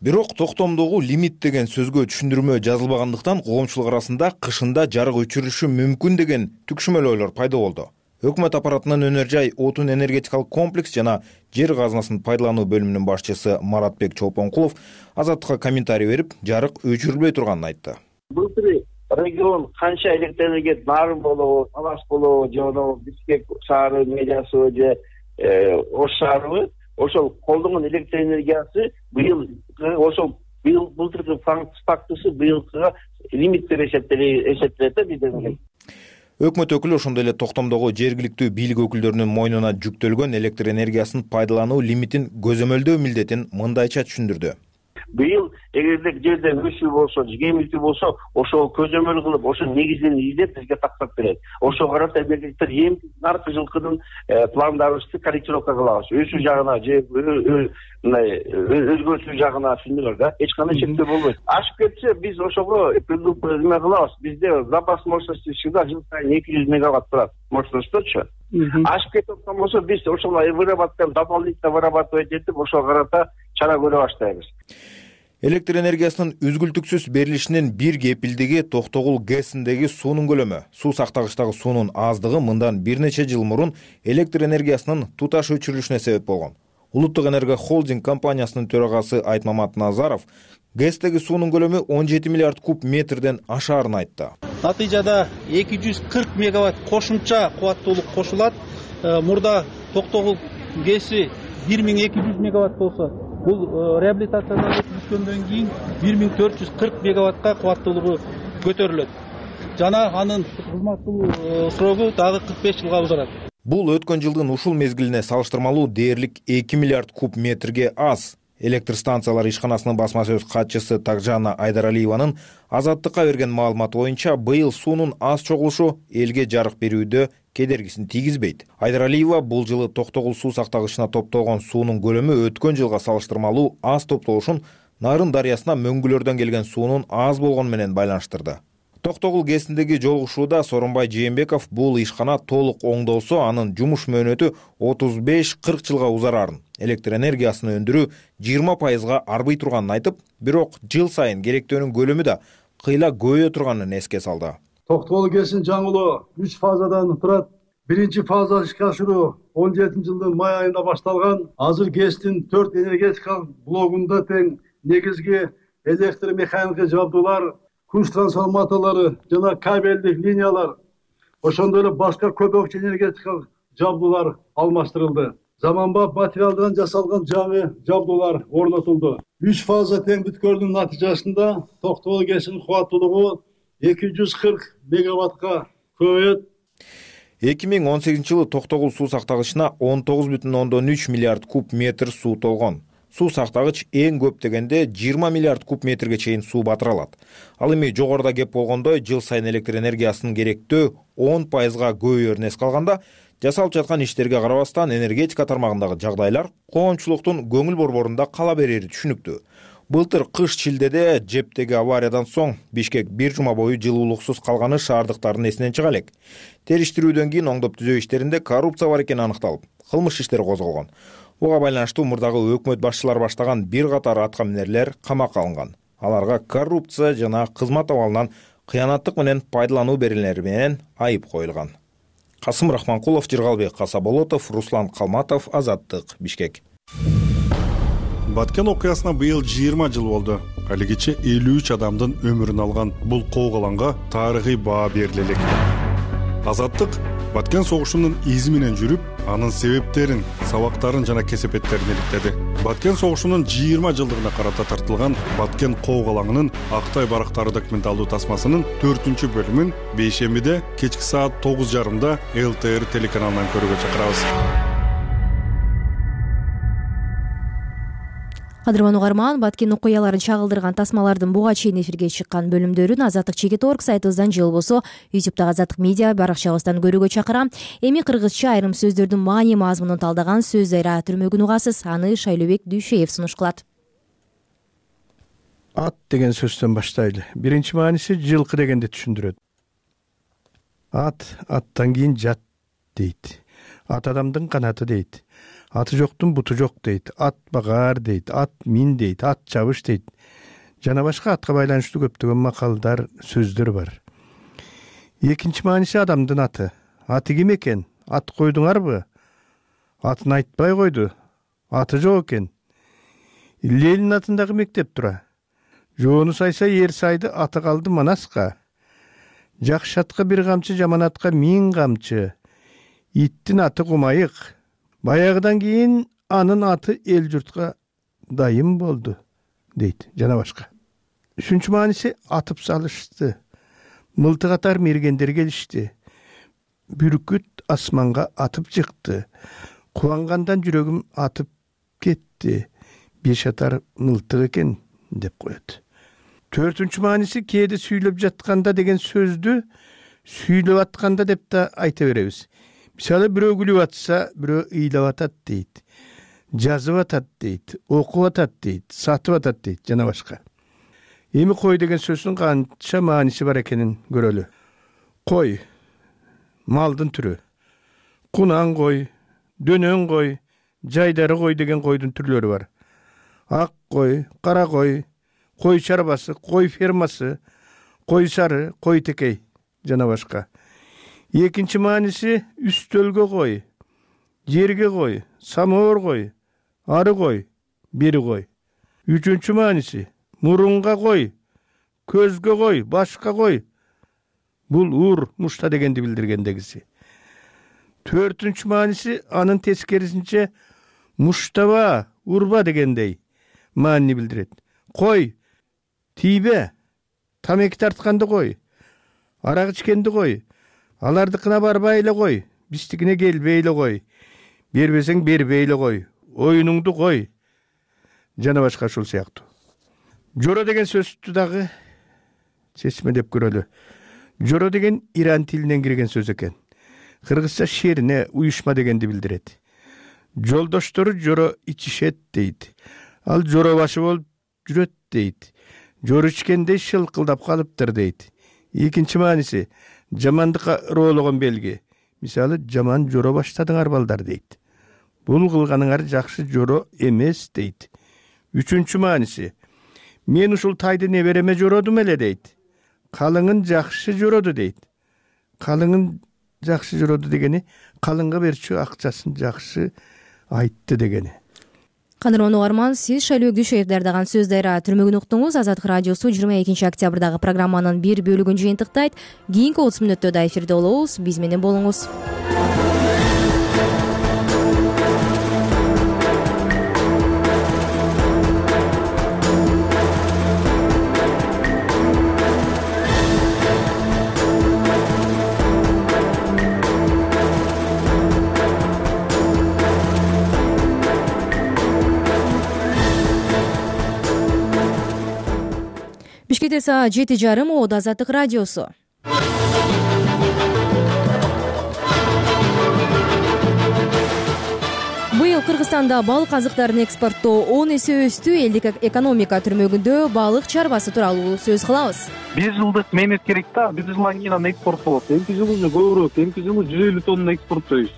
Бирок токтомдогу лимит деген сөзгө түшүндүрмө жазылбагандыктан коомчулук арасында кышында жарык өчүрүлүшү мүмкүн деген түкшүмөлөөлөр пайда болду. Өкмөт аппаратынын Өнөр жай отун энергетикалык комплекс жана жер казынасын пайдалануу бөлүмүнүн башчысы Маратбек Чолпонкулов Азаттыкка комментарий берип, жарык өчүрүлбөй турганын айтты. Былтыр регион канча электр энергия нарын болобу, Талас болобу, же Бишкек шаары мэриясы же Ош шаарыбы ошол колдонгон электр энергиясы быйыл ошол быйыл былтыркы фактысы быйылкыга лимиттер эсептелет да бизде. Өкмөт өкүлү ошондой эле токтомдогу жергиликтүү бийлик өкүлдөрүнүн мойнуна жүктөлгөн электр энергиясын пайдалануу лимитин көзөмөлдөө милдетин мындайча түшүндүрдү. Быйыл эгерде жерде өсүү болсо, жемилтүү болсо, ошол көзөмөл кылып, ошо негизин издеп бизге тактап берет. Ошого карата мемлекеттер эми наркы жылкынын пландарыбызды корректировка кылабыз. Өсүү жагына же мындай өзгөртүү жагына түшүндүңөр да. Эч кандай чектөө болбойт. Ашып кетсе, биз ошого эме кылабыз. Бизде запас мощности всегда жыл сайын эки жүз мегаватт турат. Мощностьточу. Ашып кетип аткан болсо, биз ошолай вырабатываем, дополнительно вырабатывать этип, ошого карата чара көрө баштайбыз. Электр энергиясынын үзгүлтүксүз берилишинин бир кепилдиги Токтогул ГЭСиндеги суунун көлөмү. Суу сактагычтагы суунун аздыгы мындан бир нече жыл мурун электр энергиясынын туташ өчүрүлүшүнө себеп болгон. Улуттук энерго холдинг компаниясынын төрагасы Айтмамат Назаров ГЭСтеги суунун көлөмү он жети миллиард куб метрден ашаарын айтты. Натыйжада эки жүз кырк мегаватт кошумча кубаттуулук кошулат. Мурда Токтогул ГЭСи бир миң эки жүз мегаватт болсо, бул реабилитациядан өткөндөн кийин бир миң төрт жүз кырк мегаваттка кубаттуулугу көтөрүлөт. Жана анын кызмат кылуу срогу дагы кырк беш жылга узарат. Бул өткөн жылдын ушул мезгилине салыштырмалуу дээрлик эки миллиард куб метрге аз. Электр станциялары ишканасынын басма сөз катчысы Такжана Айдаралиеванын Азаттыкка берген маалыматы боюнча быйыл суунун аз чогулушу элге жарык берүүдө кедергисин тийгизбейт. Айдаралиева бул жылы Токтогул суу сактагычына топтолгон суунун көлөмү өткөн жылга салыштырмалуу аз топтолушун Нарын дарыясына мөңгүлөрдөн келген суунун аз болгону менен байланыштырды. Токтогул ГЭСиндеги жолугушууда Сооронбай Жээнбеков бул ишкана толук оңдолсо, анын жумуш мөөнөтү отуз беш кырк жылга узарарын, электр энергиясын өндүрүү жыйырма пайызга арбый турганын айтып, бирок жыл сайын керектөөнүн көлөмү да кыйла көбөйө турганын эске салды. Токтогул ГЭСин жаңылоо үч фазадан турат. Биринчи фаза ишке ашыруу он жетинчи жылдын май айында башталган. Азыр ГЭСтин төрт энергетикалык блогунда тең негизги электр механикалык жабдуулар, күч трансформаторлору жана кабелдик линиялар, ошондой эле башка көп окчу энергетикалык жабдуулар алмаштырылды. Заманбап материалдан жасалган жаңы жабдуулар орнотулду. Үч фаза тең бүткөрдүн натыйжасында Токтогул КЭСинин кубаттуулугу эки жүз кырк мегаваттка көбөйөт. эки миң он сегизинчи жылы Токтогул суу сактагычына он тогуз бүтүн ондон үч миллиард куб метр суу толгон. Суу сактагыч эң көп дегенде жыйырма миллиард куб метрге чейин суу батыра алат. Ал эми жогоруда кеп болгондой жыл сайын электр энергиясынын керектөө он пайызга көбөйөрүнө эске алганда, жасалып жаткан иштерге карабастан энергетика тармагындагы жагдайлар коомчулуктун көңүл борборунда кала берери түшүнүктүү. Былтыр кыш чилдеде жептеги авариядан соң Бишкек бир жума бою жылуулуксуз калганы шаардыктардын эсинен чыга элек. Териштирүүдөн кийин оңдоп түзөө иштеринде коррупция бар экени аныкталып, кылмыш иштери козголгон. Буга байланыштуу мурдагы өкмөт башчылары баштаган бир катар атка минерлер камакка алынган. Аларга коррупция жана кызмат абалынан кыянаттык менен пайдалануу беренелери менен айып коюлган. Касым Рахманкулов, Жыргалбек Касаболотов, Руслан Калматов, Азаттык, Бишкек. Баткен окуясына быйыл жыйырма жыл болду. Алигиче элүү үч адамдын өмүрүн алган бул коогаланга тарыхый баа бериле элек. Азаттык Баткен согушунун изи менен жүрүп, анын себептерин, сабактарын жана кесепеттерин иликтеди. Баткен согушунун жыйырма жылдыгына карата тартылган Баткен коогалаңынын Актай барактары документалдуу тасмасынын төртүнчү бөлүмүн бейшембиде кечки саат тогуз жарымда эл тэ эр телеканалынан көрүүгө чакырабыз. Кадырман угарман, Баткен окуяларын чагылдырган тасмалардын буга чейин эфирге чыккан бөлүмдөрүн Азаттык чекит точка орг сайтыбыздан же болбосо ютубтагы Азаттык медиа баракчабыздан көрүүгө чакырам. Эми кыргызча айрым сөздөрдүн маани мазмунун талдаган сөз дайра түрмөгүн угасыз. Аны Шайлообек Дүйшеев сунуш кылат. Ат деген сөздөн баштайлы. Биринчи мааниси жылкы дегенди түшүндүрөт. Ат аттан кийин жат дейт. Ат адамдын канаты дейт. Аты жоктун буту жок дейт. Ат багаар дейт. Ат мин дейт. Ат чабыш дейт. Жана башка атка байланыштуу көптөгөн макалдар, сөздөр бар. Экинчи мааниси адамдын аты. Аты ким экен? Ат койдуңарбы? Атын айтпай койду. Аты жок экен. Ленин атындагы мектеп тура. Жоону сайса ер сайды, аты калды Манаска. Жакшы атка бир камчы, жаман атка миң камчы. Иттин аты Кумайык. Баягыдан кийин анын аты эл журтка дайым болду, дейт, жана башка. Үчүнчү мааниси атып салышты. Мылтык атар мергендер келишти. Бүркүт асманга атып чыкты. Кубангандан жүрөгүм атып кетти. Беш атар мылтык экен, деп коет. Төртүнчү мааниси кээде сүйлөп жатканда деген сөздү сүйлөп атканда деп да айта беребиз. Мисалы бирөө күлүп атса, бирөө ыйлап атат дейт. Жазып атат дейт, окуп атат дейт, сатып атат дейт, жана башка. Эми кой деген сөздүн канча мааниси бар экенин көрөлү. Кой малдын түрү. Кунан кой, дөнөн кой, жайдары кой деген койдун түрлөрү бар. Ак кой, кара кой, кой чарбасы, кой фермасы, кой сары, кой текей, жана башка. Экинчи мааниси үстөлгө кой, жерге кой, самоор кой, ары кой, бери кой. Үчүнчү мааниси мурунга кой, көзгө кой, башка кой. Бул ур, мушта дегенди билдиргендегиси. Төртүнчү мааниси анын тескерисинче муштаба, урба дегендей маани билдирет. Кой, тийбе, тамеки тартканды кой, арак ичкенди кой. Алардыкына барбай эле кой, биздикине келбей эле кой. Бербесең бербей эле кой, оюнуңду кой. Жана башка ушул сыяктуу. Жоро деген сөздү дагы чечмелеп көрөлү. Жоро деген иран тилинен кирген сөз экен. Кыргызча шерине, уюшма дегенди билдирет. Жолдоштору жоро ичишет дейт. Ал жоро башы болуп жүрөт дейт. Жоро ичкендей шылкылдап калыптыр дейт. Экинчи мааниси жамандыкка ыроологон белги. Мисалы, жаман жоро баштадыңар балдар дейт. Бул кылганыңар жакшы жоро эмес дейт. Үчүнчү мааниси мен ушул тайды небереме жородум эле дейт. Калыңын жакшы жороду дейт. Калыңын жакшы жороду дегени калыңга берчү акчасын жакшы айтты дегени. Кадырман угарман, сиз Шайлообек Дүйшеев даярдаган сөз дайра түрмөгүн уктуңуз. Азаттык радиосу жыйырма экинчи октябрдагы программанын бир бөлүгүн жыйынтыктайт. Кийинки отуз мүнөттө да эфирде болобуз. Биз менен болуңуз. Бишкекте саат жети жарым. Оодо Азаттык радиосу. Быйыл Кыргызстанда балык азыктарын экспорттоо он эсе өстү. Элдик экономика түрмөгүндө балык чарбасы тууралуу сөз кылабыз. Бир жылдык менет керек да. Бир жылдан кийин аны экспорт болот. Эмки жылы көбүрөөк, эмки жылы жүз элүү тонна экспорттойбуз.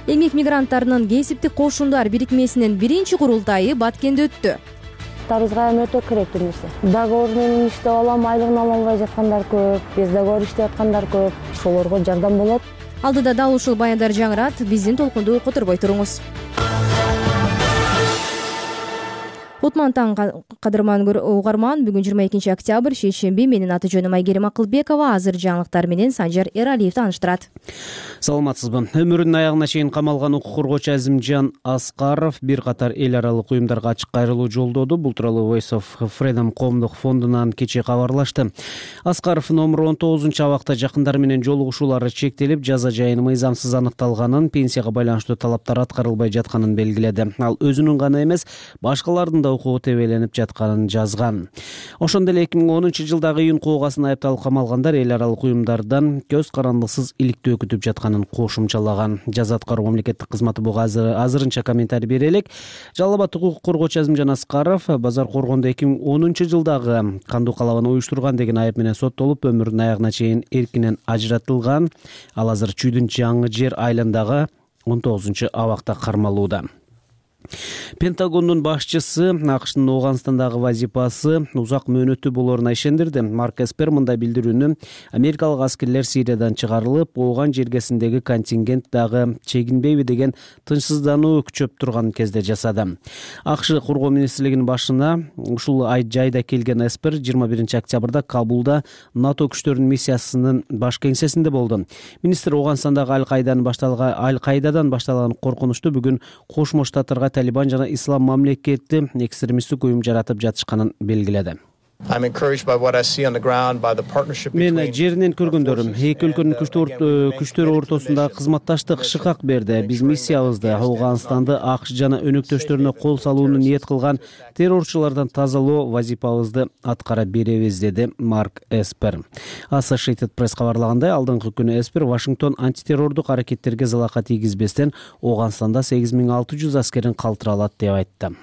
Эмгек мигранттарынын кесиптик кошундар бирикмесинин биринчи курултайы Баткенде өттү. Бизге эми өтө керектүү нерсе. Договор менен иштеп алам, айлыгын ала албай жаткандар көп, без договор иштеп аткандар көп. Ошолорго жардам болот. Алдыда дал ушул баяндар жаңырат. Биздин толкунду которбой туруңуз. Утман таң кадырман угарман. Бүгүн жыйырма экинчи октябрь шейшемби. Менин аты жөнүм Айгерим Акылбекова. Азыр жаңылыктар менен Санжар Эралиев тааныштырат. Саламатсызбы. Өмүрүнүн аягына чейин камалган укук коргоочу Азимжан Аскаров бир катар эл аралык уюмдарга ачык кайрылуу жолдоду. Бул тууралуу Voice of Freedom коомдук фондунан кечээ кабарлашты. Аскаров номер он тогузунчу абакта жакындары менен жолугушуулары чектелип, жаза жайын мыйзамсыз аныкталганын, пенсияга байланыштуу талаптар аткарылбай жатканын белгиледи. Ал өзүнүн гана эмес, башкалардын да укугу тебеленип жатканын жазган. Ошондой эле эки миң онунчу жылдагы июнь куугасына айыпталып камалгандар эл аралык уюмдардан көз карандыксыз иликтөө күтүп жатканын кошумчалаган. Жаза аткаруу мамлекеттик кызматы буга азырынча комментарий бере элек. Жалал Абад укук коргоочу Азимжан Аскаров базар коргондо эки миң онунчу жылдагы кандуу калабаны уюштурган деген айып менен соттолуп, өмүрүнүн аягына чейин эркинен ажыратылган. Ал азыр Чүйдүн жаңы жер айылындагы он тогузунчу абакта кармалууда. Пентагондун башчысы АКШтын Ооганстандагы вазифасы узак мөөнөттүү болоруна ишендирди. Марк Эспер мындай билдирүүнү америкалык аскерлер Сириядан чыгарылып, Ооган жергесиндеги контингент дагы чегинбейби деген тынчсыздануу күчөп турган кезде жасады. АКШ коргоо министрлигинин башына ушул жайда келген Эспер жыйырма биринчи октябрда Кабулда НАТО күчтөрүнүн миссиясынын баш кеңсесинде болду. Министр Ооганстандагы Аль-Кайдадан башталган Аль-Кайдадан башталган коркунучту бүгүн Кошмо Штаттарга Талибан жана ислам мамлекети экстремисттик уюм жаратып жатышканын белгиледи. Мен жеринен көргөндөрүм эки өлкөнүн күчтөрү ортосундагы кызматташтык шыкак берди. Биз миссиябызды Ооганстанды АКШ жана өнөктөштөрүнө кол салууну ниет кылган террорчулардан тазалоо вазифабызды аткара беребиз, деди Марк Эспер. Associated Press кабарлагандай, алдыңкы күнү Эспер Вашингтон антитеррордук аракеттерге залака тийгизбестен Ооганстанда сегиз миң алты жүз аскерин калтыра алат деп айтты.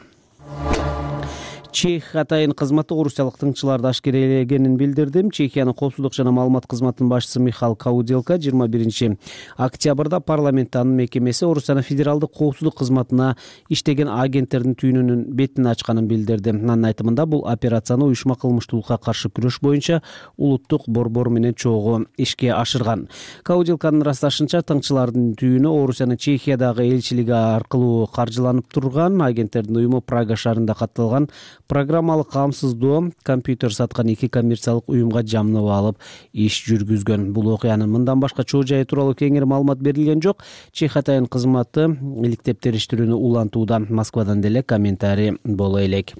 Чех атайын кызматы орусиялык тыңчыларды ашкерелегенин билдирди. Чехиянын коопсуздук жана маалымат кызматынын башчысы Михаил Кауделка жыйырма биринчи октябрда парламентте анын мекемеси Орусиянын федералдык коопсуздук кызматына иштеген агенттердин түйүнүнүн бетин ачканын билдирди. Анын айтымында бул операцияны уюшма кылмыштуулукка каршы күрөш боюнча улуттук борбор менен чогуу ишке ашырган. Кауделканын ырасташынча, тыңчылардын түйүнү Орусиянын Чехиядагы элчилиги аркылуу каржыланып турган. Агенттердин уюму Прага шаарында катталган программалык камсыздоо компьютер саткан эки коммерциялык уюмга жамнып алып иш жүргүзгөн. Бул окуянын мындан башка чоо жайы тууралуу кеңири маалымат берилген жок. Чех атайын кызматы иликтеп териштирүүнү улантууда. Москвадан деле комментарий боло элек.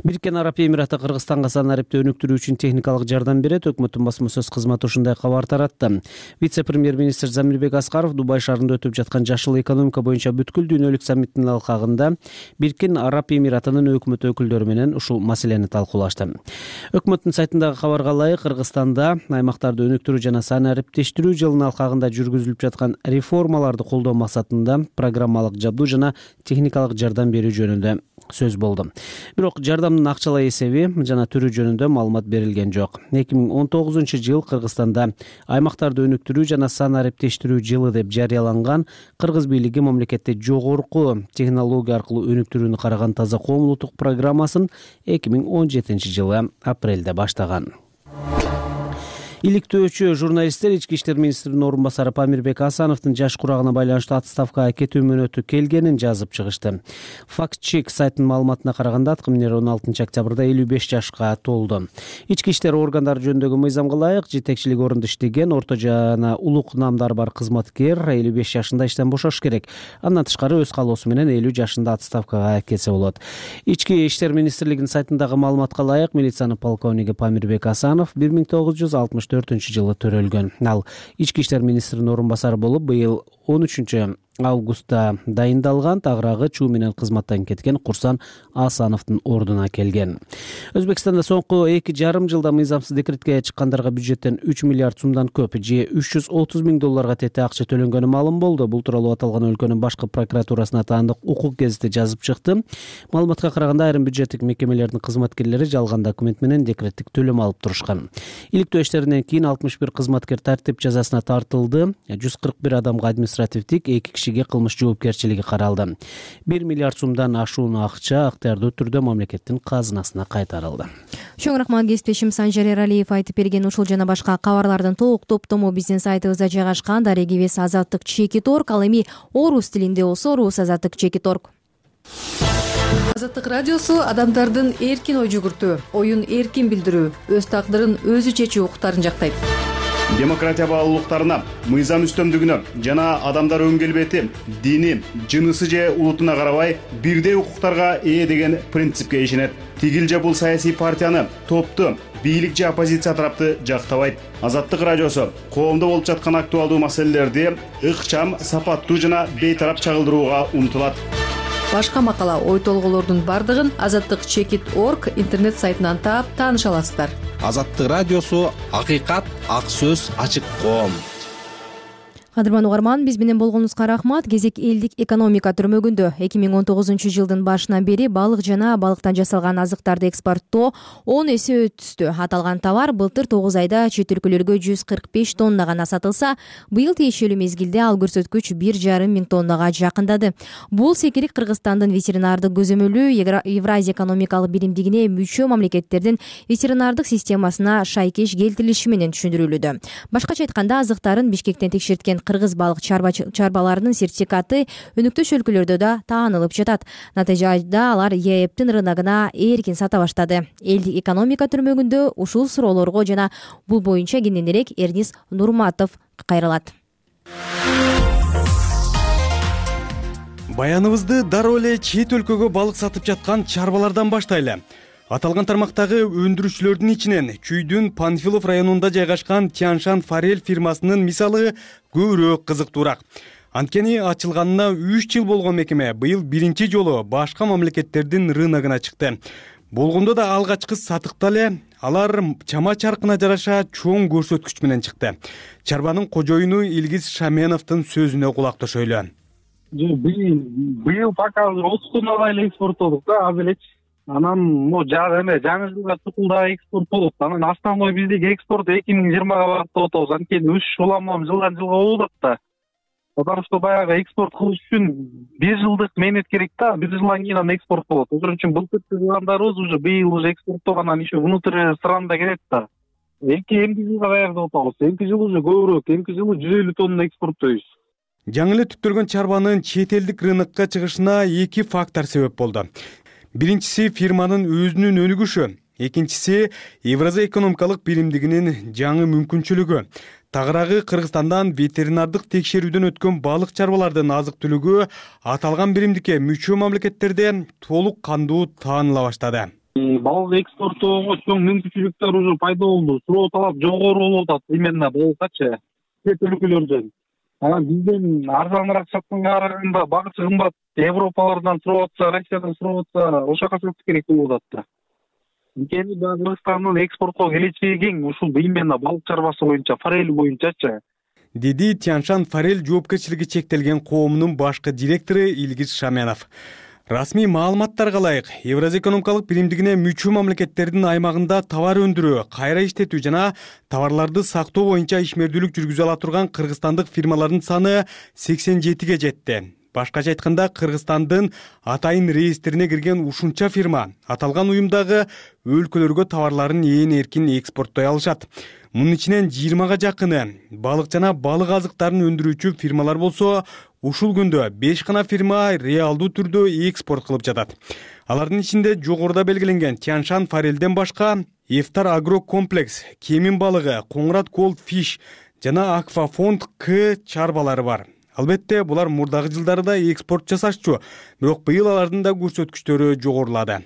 Бириккен Араб Эмираты Кыргызстанга санарипти өнүктүрүү үчүн техникалык жардам берет. Өкмөттүн басма сөз кызматы ушундай кабар таратты. Вице-премьер-министр Замирбек Аскаров Дубай шаарында өтүп жаткан жашыл экономика боюнча бүткүл дүйнөлүк саммиттин алкагында Бириккен Араб Эмиратынын өкмөт өкүлдөрү менен ушул маселени талкуулашты. Өкмөттүн сайтындагы кабарга ылайык, Кыргызстанда аймактарды өнүктүрүү жана санариптештирүү жылынын алкагында жүргүзүлүп жаткан реформаларды колдоо максатында программалык жабдуу жана техникалык жардам берүү жөнүндө сөз болду. Бирок жардамдын акчалай эсеби жана түрү жөнүндө маалымат берилген жок. эки миң он тогузунчу жыл Кыргызстанда аймактарды өнүктүрүү жана санариптештирүү жылы деп жарыяланган. Кыргыз бийлиги мамлекетте жогорку технология аркылуу өнүктүрүүнү караган таза коомдук программасын эки миң он жетинчи жылы апрелде баштаган. Иликтөөчү журналисттер ички иштер министринин орун басары Памирбек Асановдун жаш курагына байланыштуу отставкага кетүү мөөнөтү келгенин жазып чыгышты. Фактчек сайтынын маалыматына караганда, аткаминер он алтынчы октябрда элүү беш жашка толду. Ички иштер органдары жөнүндөгү мыйзамга ылайык жетекчилик орунда иштеген орто жана улук наамдары бар кызматкер элүү беш жашында иштен бошош керек. Андан тышкары өз каалоосу менен элүү жашында отставкага кетсе болот. Ички иштер министрлигинин сайтындагы маалыматка ылайык, милициянын полковниги Памирбек Асанов бир миң тогуз жүз алтымыш төртүнчү жылы төрөлгөн. Ал ички иштер министринин орун басары болуп, быйыл он үчүнчү августта дайындалган, тагыраагы чуу менен кызматтан кеткен Курсан Асановдун ордуна келген. Өзбекстанда соңку эки жарым жылда мыйзамсыз декретке чыккандарга бюджеттен үч миллиард сумдан көп же үч жүз отуз миң долларга тете акча төлөнгөнү маалым болду. Бул тууралуу аталган өлкөнүн башкы прокуратурасына таандык укук гезити жазып чыкты. Маалыматка караганда айрым бюджеттик мекемелердин кызматкерлери жалган документ менен декреттик төлөм алып турушкан. Иликтөө иштеринен кийин алтымыш бир кызматкер тартип жазасына тартылды. жүз кырк бир адамга административдик, эки кишиге кылмыш жоопкерчилиги каралды. бир миллиард сумдан ашуун акча ыктыярдуу түрдө мамлекеттин казынасына кайтарылды. Чоң рахмат кесиптешим Санжар Эралиев айтып берген ушул жана башка кабарлардын толук топтому биздин сайтыбызда жайгашкан. Дарегибиз азаттык чекит точка орг, ал эми орус тилинде болсо орус азаттык чекит точка орг. Азаттык радиосу адамдардын эркин ой жүгүртүү, оюн эркин билдирүү, өз тагдырын өзү чечүү укуктарын жактайт. Демократия баалуулуктарына, мыйзам үстөмдүгүнө жана адамдар өң келбети, дини, жынысы же улутуна карабай бирдей укуктарга ээ деген принципке ишенет. Тигил же бул саясий партияны, топту, бийлик же оппозиция тарапты жактабайт. Азаттык радиосу коомдо болуп жаткан актуалдуу маселелерди ыкчам, сапаттуу жана бейтарап чагылдырууга умтулат. Башка макала, ой толголордун бардыгын азаттык чекит точка орг интернет сайтынан таап тааныша аласыздар. Азаттык радиосу акыйкат, ак сөз, ачык коом. Кадырман угарман, биз менен болгонуңузга рахмат. Кезек элдик экономика түрмөгүндө. эки миң он тогузунчу жылдын башынан бери балык жана балыктан жасалган азыктарды экспорттоо он эсе өстү. Аталган товар былтыр тогуз айда чет өлкөлөргө жүз кырк беш тонна гана сатылса, быйыл тиешелүү мезгилде ал көрсөткүч бир жарым миң тоннага жакындады. Бул секирик Кыргызстандын ветеринардык көзөмөлү Евразия экономикалык биримдигине мүчө мамлекеттердин ветеринардык системасына шайкеш келтирилиши менен түшүндүрүлүүдө. Башкача айтканда, азыктарын Бишкектен текшерткен кыргыз балык чарбаларынын сертификаты өнүктүш өлкөлөрдө да таанылып жатат. Натыйжада алар ЕЭПтин рыногуна эркин сата баштады. Элдик экономика түрмөгүндө ушул суроолорго жана бул боюнча кененирээк Эрнис Нурматов кайрылат. Баяныбызды дароо эле чет өлкөгө балык сатып жаткан чарбалардан баштайлы. Аталган тармактагы өндүрүүчүлөрдүн ичинен Чүйдүн Панфилов районунда жайгашкан Тяншан Форель фирмасынын мисалы көбүрөөк кызыктуураак. Анткени ачылганына үч жыл болгон мекеме быйыл биринчи жолу башка мамлекеттердин рыногуна чыкты. Болгондо да алгачкы сатыкта эле алар чама чаркына жараша чоң көрсөткүч менен чыкты. Чарбанын кожоюну Илгиз Шаменовдун сөзүнө кулак төшөйлү. Быйыл пока отуз тоннадай эле экспорттодук да, аз элечи. Анан могу жагы эме жаңы жылга чукулда экспорт болот. Анан основной биздеги экспорт эки миң жыйырмага багыттап атабыз. Анткени үч уламам жылдан жылга болуп атат да. Потому что баягы экспорт кылыш үчүн бир жылдык мээнет керек да, бир жылдан кийин анан экспорт болот. Ошон үчүн былтыр кылгандарыбыз уже быйыл уже экспорттогандан еще внутрь страна келет да. Эки эмки жылга даярдап атабыз. Эмки жыл уже көбүрөөк, эмки жылы жүз элүү тонна экспорттойбуз. Жаңы эле түптөлгөн чарбанын чет элдик рынокко чыгышына эки фактор себеп болду. Биринчиси фирманын өзүнүн өнүгүшү, экинчиси Евразия экономикалык биримдигинин жаңы мүмкүнчүлүгү. Тагыраагы Кыргызстандан ветеринардык текшерүүдөн өткөн балык чарбалардын азык-түлүгү аталган биримдикке мүчө мамлекеттерде толук кандуу тааныла баштады. Балык экспорттоого чоң мүмкүнчүлүктөр уже пайда болду. Суроо талап жогору болуп атат именно балыккачы чет өлкөлөрдөн. Анан бизден арзаныраак сатканга караганда багычы кымбат. Европалардан сурап атса, Россиядан сурап атса, ошол жака сатыш керек болуп атат да. Анткени Кыргызстандын экспорттоо келечеги кең, ушул именно балык чарбасы боюнча, форель боюнчачы. Деди Тяншан Форель жоопкерчилиги чектелген коомунун башкы директору Илгиз Шаменов. Расмий маалыматтарга ылайык, Евразия экономикалык биримдигине мүчө мамлекеттердин аймагында товар өндүрүү, кайра иштетүү жана товарларды сактоо боюнча ишмердүүлүк жүргүзө ала турган кыргызстандык фирмалардын саны сексен жетиге жетти. Башкача айтканда, Кыргызстандын атайын реестрине кирген ушунча фирма аталган уюмдагы өлкөлөргө товарларын ээн эркин экспорттой алышат. Мунун ичинен жыйырмага жакыны балык жана балык азыктарын өндүрүүчү фирмалар болсо, ушул күндө беш гана фирма реалдуу түрдө экспорт кылып жатат. Алардын ичинде жогоруда белгиленген Тяншан Форельден башка Эфтар Агро Комплекс, Кемин балыгы, Коңрат Голд Фиш жана Аквафонд К чарбалары бар. Албетте, булар мурдагы жылдарда экспорт жасашчу, бирок быйыл алардын да көрсөткүчтөрү жогорулады.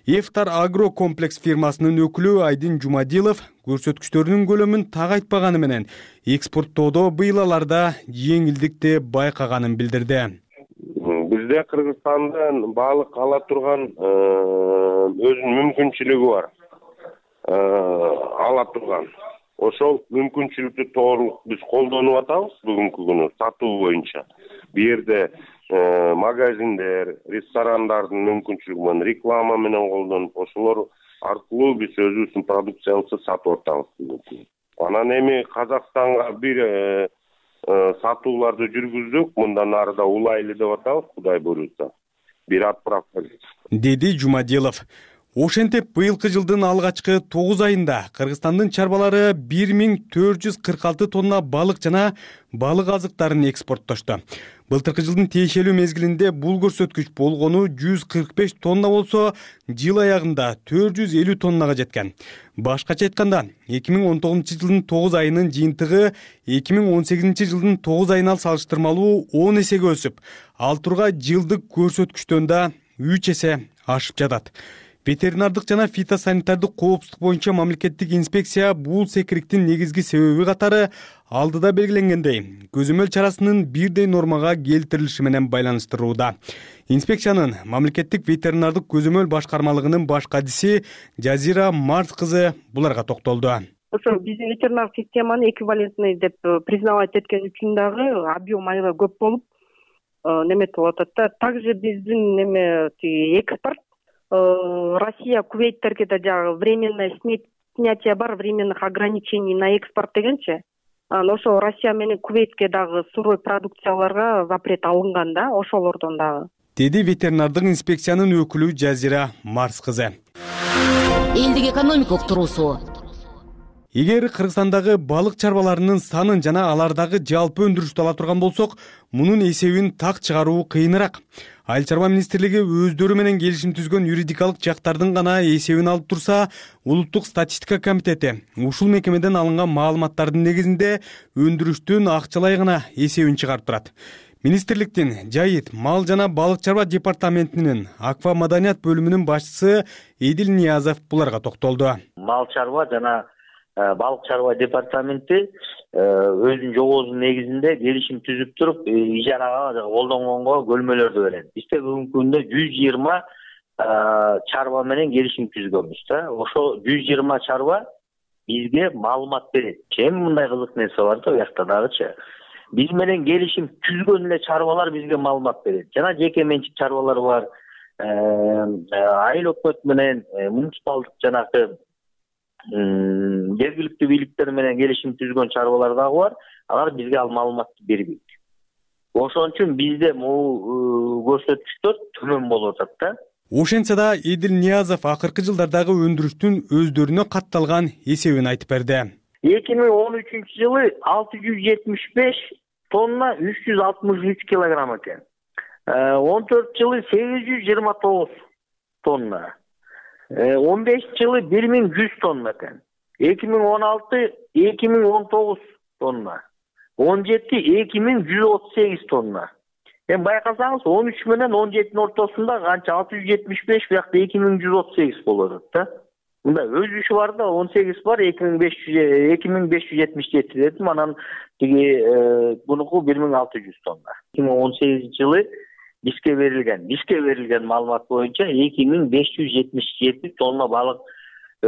Эфтар Агро Комплекс фирмасынын өкүлү Айдин Жумадилов көрсөткүчтөрүнүн көлөмүн так айтпаганы менен экспорттоодо быйыл аларда жеңилдикти байкаганын билдирди. бизде Кыргызстандан балык ала турган өзүнүн мүмкүнчүлүгү бар. Ала турган. Ошол мүмкүнчүлүктү толук биз колдонуп атабыз бүгүнкү күнү сатуу боюнча. Бу жерде магазиндер, ресторандардын мүмкүнчүлүгү менен, реклама менен колдонуп, ошолор аркылуу биз өзүбүздүн продукциябызды сатып атабыз. Анан эми Казакстанга бир сатууларды жүргүздүк, мындан ары да улайлы деп атабыз, Кудай буйрутса. Бир отправка деди Жумадилов. Ошентип быйылкы жылдын алгачкы тогуз айында Кыргызстандын чарбалары бир миң төрт жүз кырк алты тонна балык жана балык азыктарын экспорттошту. Былтыркы жылдын тиешелүү мезгилинде бул көрсөткүч болгону жүз кырк беш тонна болсо, жыл аягында төрт жүз элүү тоннага жеткен. Башкача айтканда, эки миң он тогузунчу жылдын тогуз айынын жыйынтыгы эки миң он сегизинчи жылдын тогуз айына салыштырмалуу он эсеге өсүп, ал тургай жылдык көрсөткүчтөн да үч эсе ашып жатат. Ветеринардык жана фитосанитардык коопсуздук боюнча мамлекеттик инспекция бул секириктин негизги себеби катары алдыда белгиленгендей көзөмөл чарасынын бирдей нормага келтирилиши менен байланыштырууда. Инспекциянын мамлекеттик ветеринардык көзөмөл башкармалыгынын баш кадиси Жазира Марс кызы буларга токтолду. Ошо биздин ветеринардык системаны эквивалентный деп признавать эткен үчүн дагы объем аябай көп болуп неметип атат да. Также биздин неме экспорт Россия Кувейттерге да жагы временное снятие бар, временных ограничений на экспорт дегенчи. Ошо Россия менен Кувейтке дагы сырой продукцияларга запрет алынган да, ошолордон дагы. Деди ветеринардык инспекциянын өкүлү Жазира Марс кызы. Элдик экономикалык туруусу. Эгер Кыргызстандагы балык чарбаларынын санын жана алардагы жалпы өндүрүштү ала турган болсок, мунун эсебин так чыгаруу кыйыныраак. Айыл чарба министрлиги өздөрү менен келишим түзгөн юридикалык жактардын гана эсебин алып турса, улуттук статистика комитети ушул мекемеден алынган маалыматтардын негизинде өндүрүштүн акчалай гана эсебин чыгарып турат. Министрликтин жайыт, мал жана балык чарба департаментинин аква маданият бөлүмүнүн башчысы Эдил Ниязов буларга токтолду. Мал чарба жана балык чарба департаменти өзүнүн жобосунун негизинде келишим түзүп туруп, ижарага колдонгонго бөлмөлөрдү берет. Бизде бүгүнкү күндө жүз жыйырма чарба менен келишим түзгөнбүз да. Ошо жүз жыйырма чарба бизге маалымат берет. Эми мындай кызык нерсе бар да, буякта дагычы. Биз менен келишим түзгөн эле чарбалар бизге маалымат берет. Жана жеке менчик чарбалар бар. Айыл өкмөт менен муниципалдык жанагы жергиликтүү бийликтер менен келишим түзгөн чарбалар дагы бар. Алар бизге ал маалыматты бербейт. Ошон үчүн бизде могу көрсөткүчтөр төмөн болуп атат да. Ошентсе да Эдил Ниязов акыркы жылдардагы өндүрүштүн өздөрүнө катталган эсебин айтып берди. эки миң он үчүнчү жылы алты жүз жетимиш беш тонна үч жүз алтымыш үч килограмм экен. он төртүнчү жылы сегиз жүз жыйырма тогуз тонна. он бешинчи жылы бир миң жүз тонна экен. эки миң он алты эки миң он тогуз тонна. он жети эки миң жүз отуз сегиз тонна. Эми байкасаңыз он үч менен он жетинин ортосунда канча алты жүз жетимиш беш, буякта эки миң жүз отуз сегиз болуп атат да. Мында өзүшү бар да, он сегиз бар, эки миң беш жүз жетимиш жети дедим, анан тиги бунуку бир миң алты жүз тонна. эки миң он сегизинчи жылы бизге берилген, бизге берилген маалымат боюнча эки миң беш жүз жетимиш жети тонна балык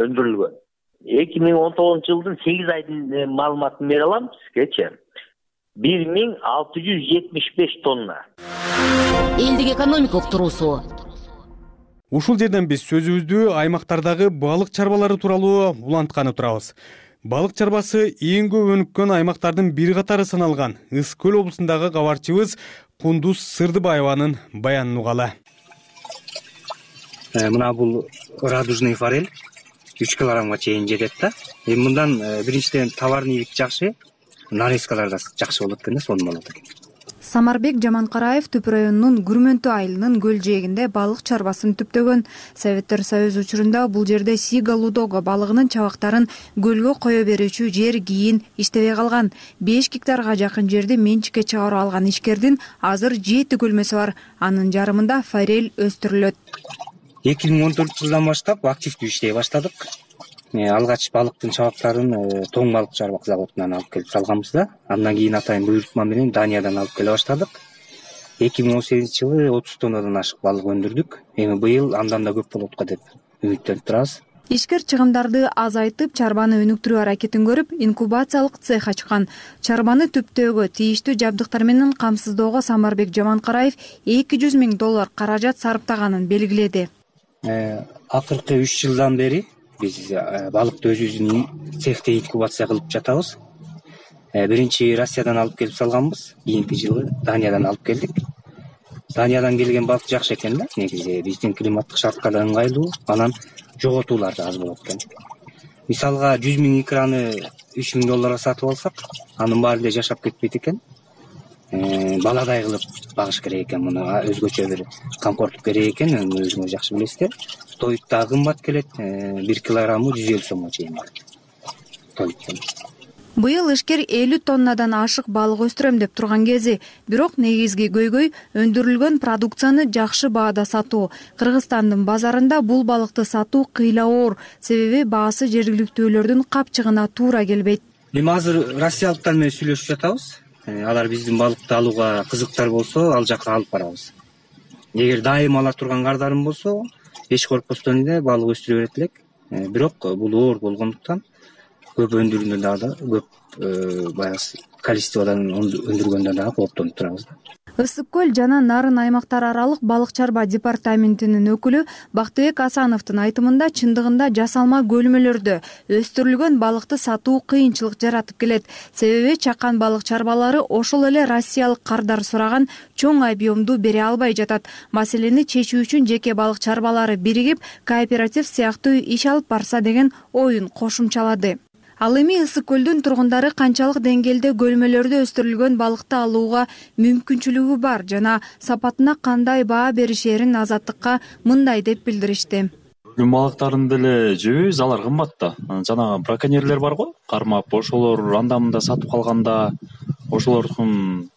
өндүрүлгөн. эки миң он тогузунчу жылдын сегиз айдын маалыматын бере алам сизгечи. бир миң алты жүз жетимиш беш тонна. Элдик экономикалык туруусу. Ушул жерден биз сөзүбүздү аймактардагы балык чарбалары тууралуу улантканы турабыз. Балык чарбасы эң көп өнүккөн аймактардын бир катары саналган Ысык көл облусундагы кабарчыбыз Кундуз Сырдыбаеванын баянын угалы. Мына бул радужный форель үч килограммга чейин жетет да. Эми мындан биринчиден товарный ийгилик жакшы, нарезкалар да жакшы болот экен да, сонун болот экен. Самарбек Жаманкараев Түп районунун Күрмөнтү айылынын көл жээгинде балык чарбасын түптөгөн. Советтер Союзу учурунда бул жерде Сига Лудога балыгынын чабактарын көлгө кое берүүчү жер кийин иштебей калган. беш гектарга жакын жерди менчикке чыгарып алган ишкердин азыр жети көлмөсү бар. Анын жарымында форель өстүрүлөт. эки миң он төртүнчү жылдан баштап активдүү иштей баштадык. Алгач балыктын чабактарын тоң балык чарбак заводунан алып келип салганбыз да. Андан кийин атайын буйрутма менен Даниядан алып келе баштадык. эки миң он сегизинчи жылы отуз тоннадан ашык балык өндүрдүк. Эми быйыл андан да көп болот го деп үмүттөнүп турабыз. Ишкер чыгымдарды азайтып, чарбаны өнүктүрүү аракетин көрүп, инкубациялык цех ачкан. Чарбаны түптөөгө, тийиштүү жабдыктар менен камсыздоого Самарбек Жаманкараев эки жүз миң доллар каражат сарптаганын белгиледи. Акыркы үч жылдан бери биз балыкты өзүбүздүн цехте инкубация кылып жатабыз. Биринчи Россиядан алып келип салганбыз, кийинки жылы Даниядан алып келдик. Даниядан келген балык жакшы экен да, негизи биздин климаттык шартка да ыңгайлуу, анан жоготуулар да аз болот экен. Мисалга жүз миң икраны үч миң долларга сатып алсак, анын баары эле жашап кетпейт экен. Баладай кылып багыш керек экен, муну өзгөчө бир комфорттук керек экен, өзүңүз жакшы билесиздер. Тоют да кымбат келет, бир килограммы жүз элүү сомго чейин бар. Тоюттан. Быйыл ишкер элүү тоннадан ашык балык өстүрөм деп турган кези, бирок негизги көйгөй өндүрүлгөн продукцияны жакшы баада сатуу. Кыргызстандын базарында бул балыкты сатуу кыйла оор, себеби баасы жергиликтүүлөрдүн капчыгына туура келбейт. Эми азыр россиялыктар менен сүйлөшүп жатабыз. Алар биздин балыкты алууга кызыктар болсо, ал жака алып барабыз. Эгер дайым ала турган кардарым болсо, эч коркпостон эле балык өстүрө берет элек. Бирок бул оор болгондуктан көп өндүргөндөн дагы көп баягы количестводан өндүргөндөн дагы кооптонуп турабыз да. Ысык көл жана Нарын аймактар аралык балык чарба департаментинин өкүлү Бактыбек Асановдун айтымында чындыгында жасалма көлмөлөрдө өстүрүлгөн балыкты сатуу кыйынчылык жаратып келет. Себеби чакан балык чарбалары ошол эле россиялык кардар сураган чоң объемду бере албай жатат. Маселени чечүү үчүн жеке балык чарбалары биригип, кооператив сыяктуу иш алып барса деген оюн кошумчалады. Ал эми Ысык көлдүн тургундары канчалык деңгээлде көлмөлөрдө өстүрүлгөн балыкты алууга мүмкүнчүлүгү бар жана сапатына кандай баа беришерин Азаттыкка мындай деп билдиришти. Көлдүн балыктарын деле жебейбиз, алар кымбат да. Жанагы браконьерлер бар го, кармап, ошолор анда мында сатып калганда, ошолордун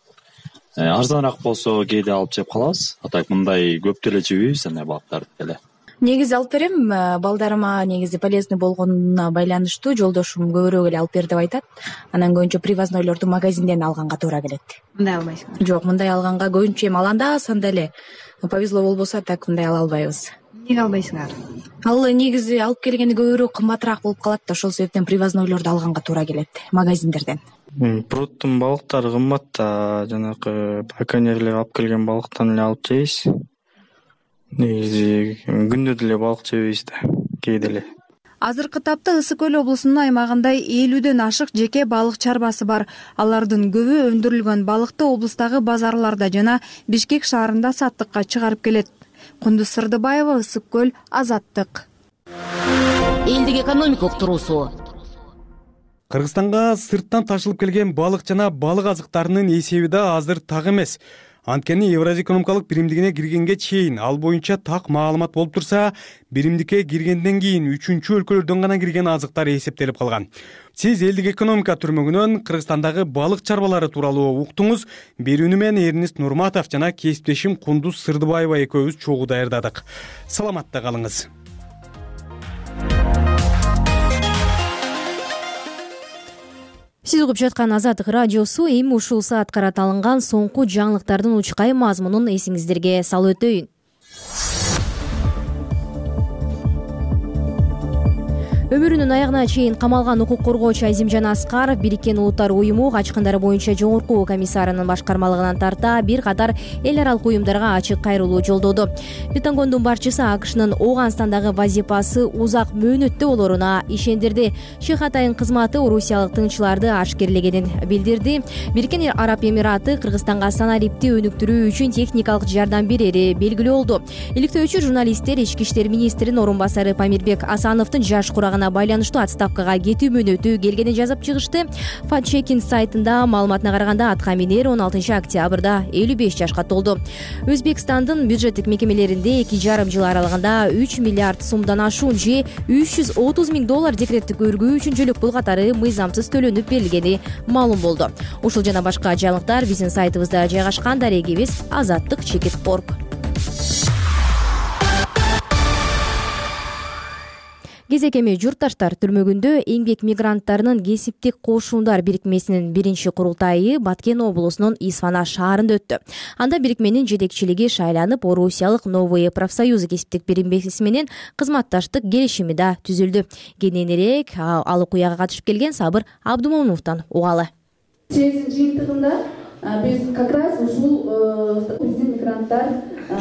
арзаныраак болсо кээде алып жеп калабыз. А так мындай көп деле жебейбиз андай балыктарды деле. Негизи алып берем, балдарыма негизи полезный болгонуна байланыштуу жолдошум көбүрөөк эле алып бер деп айтат. Анан көбүнчө привознойлорду магазинден алганга туура келет. Мындай албайсыңар? Жок, мындай алганга көбүнчө эми аланда санда эле повезло болбосо так мындай ала албайбыз. Эмнеге албайсыңар? Ал негизи алып келгенде көбүрөөк кымбатыраак болуп калат да, ошол себептен привознойлорду алганга туура келет магазиндерден. Пруттун балыктары кымбат да, жанагы браконьерлер алып келген балыктан эле алып жейбиз. Негизи күндө деле балык жебейбиз да, кээде эле. Азыркы тапта Ысык көл облусунун аймагында элүүдөн ашык жеке балык чарбасы бар. Алардын көбү өндүрүлгөн балыкты облустагы базарларда жана Бишкек шаарында саттыкка чыгарып келет. Кундуз Сырдыбаева, Ысык көл, Азаттык. Элдик экономика уктуруусу. Кыргызстанга сырттан ташылып келген балык жана балык азыктарынын эсеби да азыр так эмес. Анткени Евразия экономикалык биримдигине киргенге чейин ал боюнча так маалымат болуп турса, биримдикке киргенден кийин үчүнчү өлкөлөрдөн гана кирген азыктар эсептелип калган. Сиз элдик экономика түрмөгүнөн Кыргызстандагы балык чарбалары тууралуу уктуңуз. Берүүнү мен Эрнест Нурматов жана кесиптешим Кундуз Сырдыбаева экөөбүз чогуу даярдадык. Саламатта калыңыз. Сиз угуп жаткан Азаттык радиосу. Эми ушул саат караталынган соңку жаңылыктардын учкай мазмунун эсиңиздерге салып өтөйүн. Өмүрүнүн аягына чейин камалган укук коргоочу Азимжан Аскаров Бириккен Улуттар уюму качкындар боюнча жогорку комиссарынын башкармалыгынан тарта бир катар эл аралык уюмдарга ачык кайрылуу жолдоду. Пентагондун башчысы АКШнын Ооганстандагы вазифасы узак мөөнөттө болоруна ишендирди. Шехатайын кызматы орусиялык тыңчыларды ашкерлегенин билдирди. Бириккен Араб Эмираты Кыргызстанга саналипти өнүктүрүү үчүн техникалык жардам берери белгилүү болду. Иликтөөчү журналисттер ички иштер министринин орун басары Памирбек Асановдун жаш курагына байланыштуу отставкага кетүү мөөнөтү келгенин жазып чыгышты. Фатчекин сайтында маалыматына караганда Аткаминер он алтынчы октябрда элүү беш жашка толду. Өзбекстандын бюджеттик мекемелеринде эки жарым жыл аралыгында үч миллиард сомдон ашуун же үч жүз отуз миң доллар декреттик өргүү үчүн жөлөк катары мыйзамсыз төлөнүп берилгени маалым болду. Ушул жана башка жаңылыктар биздин сайтыбызда жайгашкан. Дарегибиз Азаттык чекит орг. Кезекеме журтташтар түрмөгүндө эмгек мигранттарынын кесиптик кошундар бирикмесинин биринчи курултайы Баткен облусунун Исфана шаарында өттү. Анда бирикменин жетекчилиги шайланып, Орусиялык Новые профсоюзы кесиптик бирикмеси менен кызматташтык келишими да түзүлдү. Кененирээк ал окуяга катышып келген Сабыр Абдумомуновдон угалы. Съездин жыйынтыгында биз как раз ушул биздин мигранттар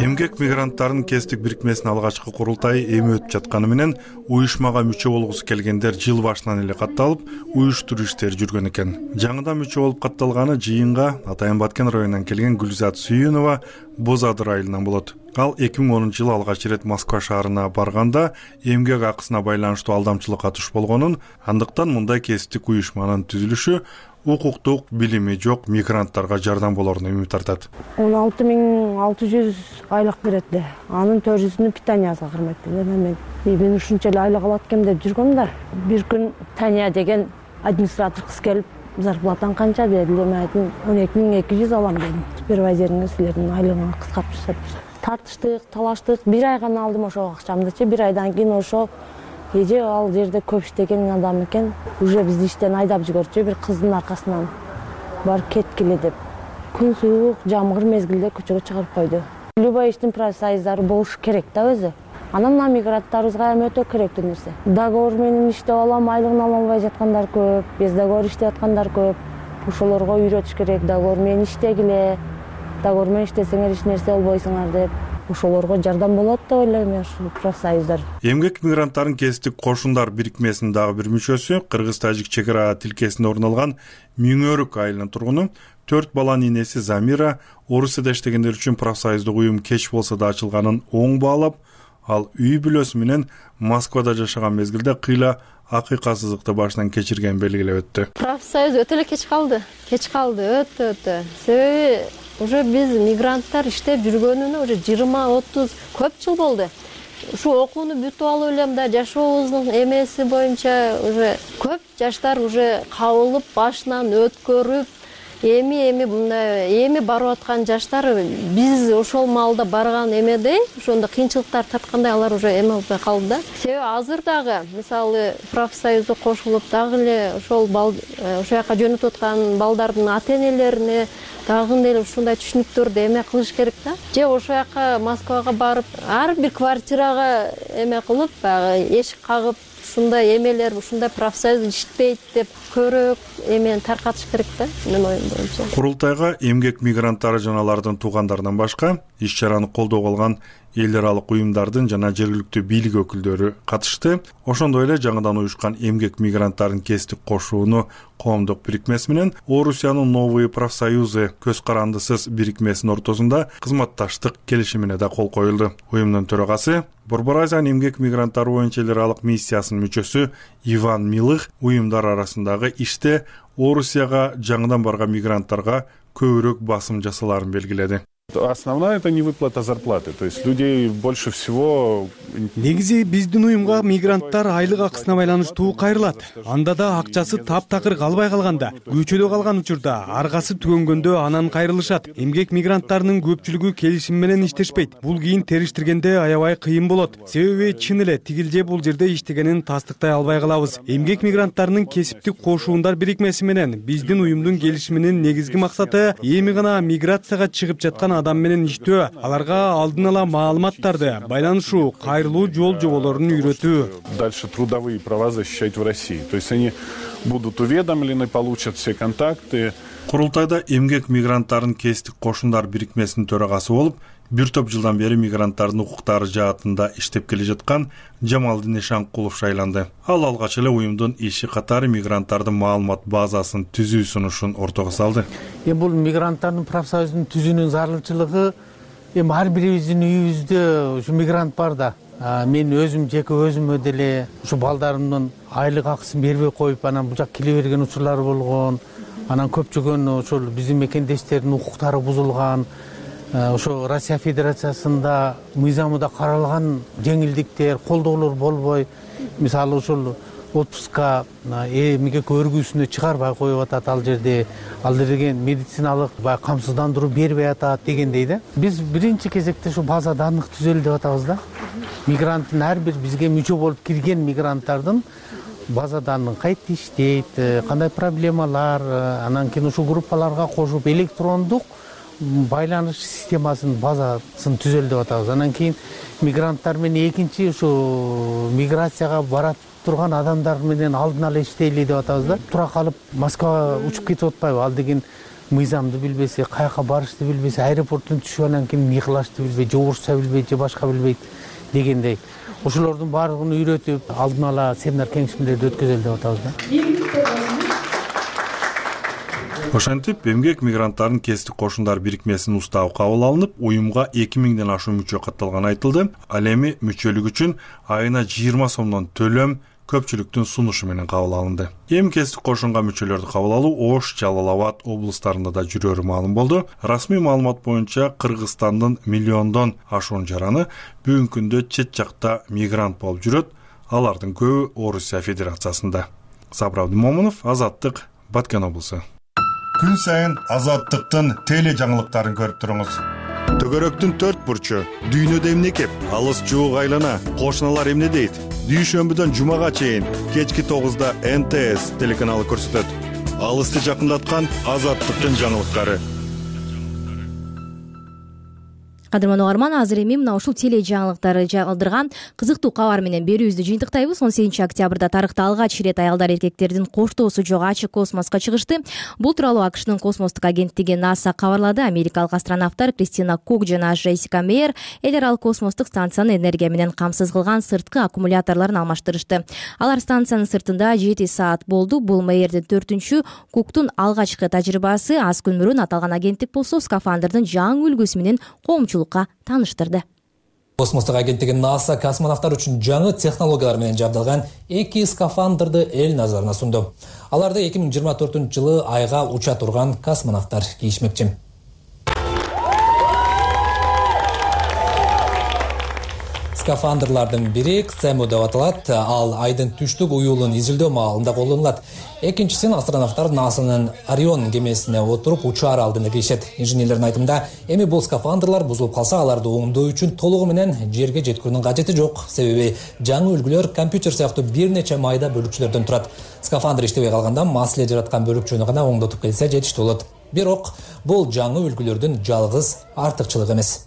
эмгек мигранттарынын кесиптик бирикмесинин алгачкы курултайы эми өтүп жатканы менен уюшмага мүчө болгусу келгендер жыл башынан эле катталып, уюштуруу иштери жүргөн экен. Жаңыдан мүчө болуп катталганы жыйынга Атайын Баткен районунан келген Гүлзат Сүйүнова Боз Адыр айылынан болот. Ал эки миң онунчу жылы алгач ирет Москва шаарына барганда эмгек акысына байланыштуу алдамчылыкка туш болгонун, андыктан мындай кесиптик уюшманын түзүлүшү укуктук билими жок мигранттарга жардам болоруна үмүт артат. он алты миң алты жүз айлык берет эле. Анын төрт жүзүнү питанияга кырмайт эле. Мен мен ушунча эле айлык алат экем деп жүргөм да. Бир күн Тания деген администратор кыз келип, зарплатаң канча деди. Мен айттым, он эки миң эки жүз алам дедим. Супервайзериңиз силердин айлыгыңы кыскартып жасап. Тартыштык, талаштык. Бир ай гана алдым ошо акчамдычы. Бир айдан кийин ошо эже ал жерде көп иштеген адам экен. Уже бизди иштен айдап жиберчү, бир кыздын аркасынан барып кеткиле деп. Күн суук, жамгыр мезгилде көчөгө чыгарып койду. Любой иштин профсоюздары болуш керек да өзү. Анан мына мигранттарыбызга эми өтө керектүү нерсе. Договор менен иштеп алам, айлыгын ала албай жаткандар көп, без договор иштеп аткандар көп. Ошолорго үйрөтүш керек, договор менен иштегиле. Договор менен иштесеңер эч нерсе болбойсуңар деп. Ошолорго жардам болот деп ойлойм мен ушул профсоюздар. Эмгек мигранттарын кесиптик кошундар бирикмесинин дагы бир мүчөсү Кыргыз-Тажик чек ара тилкесинде орун алган Миңөрүк айылынын тургуну төрт баланын энеси Замира Орусияда иштегендер үчүн профсоюздук уюм кеч болсо да ачылганын оң баалап, ал үй бүлөсү менен Москвада жашаган мезгилде кыйла акыйкасыздыкты башынан кечирген белгилеп өттү. Профсоюз өтө эле кеч калды. Кеч калды, өтө өтө. Себеби уже биз мигранттар иштеп жүргөнүнө уже жыйырма отуз көп жыл болду. Ушу окууну бүтүп алып элем да жашообуздун эмеси боюнча уже көп жаштар уже кабылып башынан өткөрүп, эми эми мындай эми барып аткан жаштар биз ошол маалда барган эмедей, ошондо кыйынчылыктар тарткандай алар уже эме болбой калды да. Себеби азыр дагы мисалы профсоюзга кошулуп дагы эле ошол ошол жака жөнөтүп аткан балдардын ата-энелерине дагы эле ушундай түшүнүктөрдү эме кылыш керек да. Же ошол жака Москвага барып, ар бир квартирага эме кылып, баягы эшик кагып, ушундай эмелер, ушундай профсоюз иштейт деп көрөк эмени таркатыш керек да, менин оюм боюнча. Курултайга эмгек мигранттары жана алардын туугандарынан башка иш-чараны колдоого алган эл аралык уюмдардын жана жергиликтүү бийлик өкүлдөрү катышты. Ошондой эле жаңыдан уюшкан эмгек мигранттарын кесиптик кошууну коомдук бирикмеси менен Орусиянын Новые профсоюзы көз карандысыз бирикмесинин ортосунда кызматташтык келишимине да кол коюлду. Уюмдун төрагасы Борбор Азиянын эмгек мигранттары боюнча эл аралык миссиясынын мүчөсү Иван Милых уюмдар арасындагы иште Орусияга жаңыдан барган мигранттарга көбүрөөк басым жасаларын белгиледи. Основная это не выплата зарплаты, то есть людей больше всего. Негизи биздин уюмга мигранттар айлык акысына байланыштуу кайрылат. Анда да акчасы таптакыр калбай калганда, көчөдө калган учурда аргасы түгөнгөндө анан кайрылышат. Эмгек мигранттарынын көпчүлүгү келишим менен иштешпейт. Бул кийин териштиргенде аябай кыйын болот. Себеби чын эле тигилже бул жерде иштегенин тастыктай албай калабыз. Эмгек мигранттарынын кесиптик кошуундар бирикмеси менен биздин уюмдун келишиминин негизги максаты эми гана миграцияга чыгып жаткан адам менен иштөө, аларга алдын ала маалыматтарды, байланышуу, кайрылуу жол жоболорун үйрөтүү. Дальше трудовые права защищать в России. То есть они будут уведомлены, получат все контакты. Курултайда эмгек мигранттарын кесиптик кошундар бирикмесинин төрагасы болуп, бир топ жылдан бери мигранттардын укуктары жаатында иштеп келе жаткан Жамалдин Ишанкулов шайланды. Ал алгач эле уюмдун иши катары мигранттардын маалымат базасын түзүү сунушун ортого салды. Эми бул мигранттардын профсоюзун түзүүнүн зарылчылыгы эми ар бирибиздин үйүбүздө ушу мигрант бар да. Мен өзүм жеке өзүмө деле ушу балдарымдын айлык акысын бербей коюп, анан бул жак келе берген учурлар болгон. Анан көпчүгөн ошол биздин мекендештердин укуктары бузулган. Ошо Россия Федерациясында мыйзамында каралган жеңилдиктер, колдоолор болбой, мисалы ушул отпускка эмгек өргүүсүнө чыгарбай коюп атат ал жерде, ал деген медициналык баягы камсыздандыруу бербей атат дегендей да. Биз биринчи кезекте ушу база данных түзөлү деп атабыз да. Мигранттын ар бир бизге мүчө болуп кирген мигранттардын база данный кайтта иштейт, кандай проблемалар, анан кийин ушул группаларга кошуп электрондук байланыш системасынын базасын түзөлү деп атабыз. Анан кийин мигранттар менен экинчи ушу миграцияга барат турган адамдар менен алдын ала иштейли деп атабыз да. Тура калып Москвага учуп кетип атпайбы? Ал деген мыйзамды билбесе, каяка барышты билбесе, аэропорттон түшүп анан кийин мыйкылашты билбейт, же орусча билбейт, же башка билбейт дегендей. Ошолордун баардыгын үйрөтүп, алдын ала семинар кеңешмелерди өткөзөлү деп атабыз да. Ошентип, эмгек мигранттардын кесиптик кошундар бирикмесинин уставы кабыл алынып, уюмга эки миңден ашуун мүчө катталганы айтылды. Ал эми мүчөлүк үчүн айына жыйырма сомдон төлөм көпчүлүктүн сунушу менен кабыл алынды. Эми кесиптик кошунга мүчөлөрдү кабыл алуу Ош, Жалал Абад облустарында да жүрөрү маалым болду. Расмий маалымат боюнча Кыргызстандын миллиондон ашуун жараны бүгүнкү күндө чет жакта мигрант болуп жүрөт. Алардын көбү Орусия Федерациясында. Сабыр Абдымомунов, Азаттык, Баткен облусу. Күн сайын Азаттыктын теле жаңылыктарын көрүп туруңуз. Төгөрөктүн төрт бурчу, дүйнөдө эмне кеп, алыс жуук айлана, кошуналар эмне дейт? Дүйшөмбүдөн жумага чейин кечки тогузда Эн Тэ Эс телеканалы көрсөтөт. Алысты жакындаткан Азаттыктын жаңылыктары. Кадырман угарман, азыр эми мына ушул теле жаңылыктары жагдырган кызыктуу кабар менен берүүбүздү жыйынтыктайбыз. он сегизинчи октябрда тарыхта алгач ирет аялдар эркектердин коштоосу жок ачык космоско чыгышты. Бул тууралуу АКШнын космостук агенттиги НАСА кабарлады. Америкалык астронавттар Кристина Кук жана Джессика Мейер эл аралык космостук станцияны энергия менен камсыз кылган сырткы аккумуляторлорун алмаштырышты. Алар станциянын сыртында жети саат болду. Бул Мейердин төртүнчү, Куктун алгачкы тажрыйбасы. Аз күн мурун аталган агенттик болсо скафандрдын жаңы үлгүсү менен коомчулукка таныштырды. Космостук агенттиги НАСА космонавттар үчүн жаңы технологиялар менен жабдылган эки скафандрды эл назарына сунду. Аларды эки миң жыйырма төртүнчү жылы айга уча турган космонавттар кийишмекчи. Скафандрлардын бири Ксему деп аталат. Ал айдын түштүк уюлун изилдөө маалында колдонулат. Экинчисин астронавттар НАСАнын Орион кемесине отуруп учаар алдында кийишет. Инженерлердин айтымында, эми бул скафандрлар бузулуп калса, аларды оңдоо үчүн толугу менен жерге жеткирүүнүн кажети жок. Себеби жаңы үлгүлөр компьютер сыяктуу бир нече майда бөлүкчөлөрдөн турат. Скафандр иштебей калганда маселе жараткан бөлүкчөнү гана оңдотуп келсе жетиштүү болот. Бирок бул жаңы үлгүлөрдүн жалгыз артыкчылыгы эмес.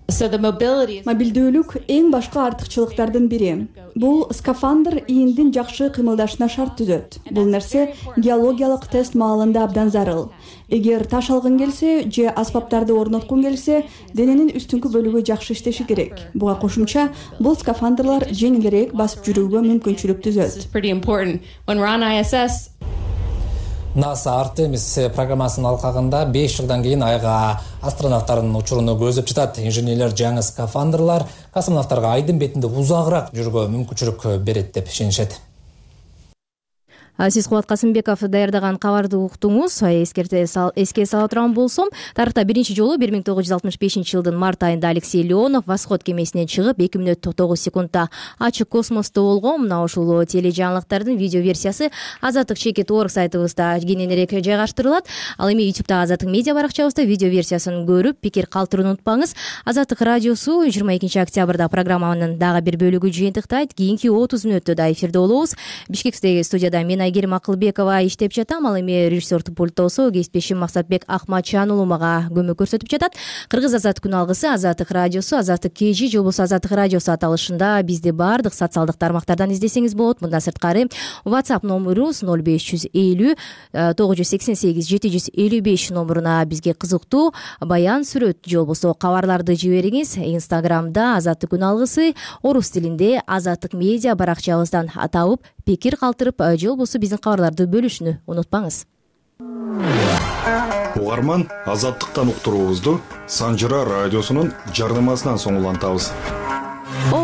Мобилдүүлүк эң башка артыкчылыктардын бири. Бул скафандр ийиндин жакшы кыймылдашына шарт түзөт. Бул нерсе геологиялык тест маалында абдан зарыл. Эгер таш алгың келсе же аспаптарды орноткуң келсе, дененин үстүңкү бөлүгү жакшы иштеши керек. Буга кошумча, бул скафандрлар жеңилирээк басып жүрүүгө мүмкүнчүлүк түзөт. НАСА Артемис программасынын алкагында беш жылдан кийин айга астронавттардын учуруну көздөп жатат. Инженерлер жаңы скафандрлар космонавттарга айдын бетинде узагыраак жүрүүгө мүмкүнчүлүк берет деп ишенишет. Сиз Кубат Касымбеков даярдаган кабарды уктуңуз. Эске сала турган болсом, тарыхта биринчи жолу бир миң тогуз жүз алтымыш бешинчи жылдын март айында Алексей Леонов Восход кемесинен чыгып эки мүнөт тогуз секундта ачык космосто болгон. Мына ушул теле жаңылыктардын видео версиясы азаттык чекит точка орг сайтыбызда кененирээк жайгаштырылат. Ал эми ютубта Азаттык медиа баракчабызда видео версиясын көрүп, пикир калтырууну унутпаңыз. Азаттык радиосу жыйырма экинчи октябрда программанын дагы бир бөлүгү жыйынтыктайт. Кийинки отуз мүнөттө да эфирде болобуз. Бишкектеги студияда мен Айгерим Акылбекова иштеп жатам. Ал эми режиссердук пультта болсо кесиптешим Максатбек Акматчан уулу мага көмөк көрсөтүп жатат. Кыргыз Азаттык күн алгысы Азаттык радиосу, Азаттык кежи же болбосо Азаттык радиосу аталышында бизди баардык социалдык тармактардан издесеңиз болот. Мындан сырткары WhatsApp номурубуз ноль беш жүз элүү тогуз жүз сексен сегиз жети жүз элүү беш номуруна бизге кызыктуу баян, сүрөт же болбосо кабарларды жибериңиз. Инстаграмда Азаттык күн алгысы, орус тилинде Азаттык медиа баракчабыздан табып, пикир калтырып же болбосо биздин кабарларды бөлүшүнү унутпаңыз. Угарман, Азаттыктан уктуруубузду Санжыра радиосунун жардамасынан соң улантабыз. О,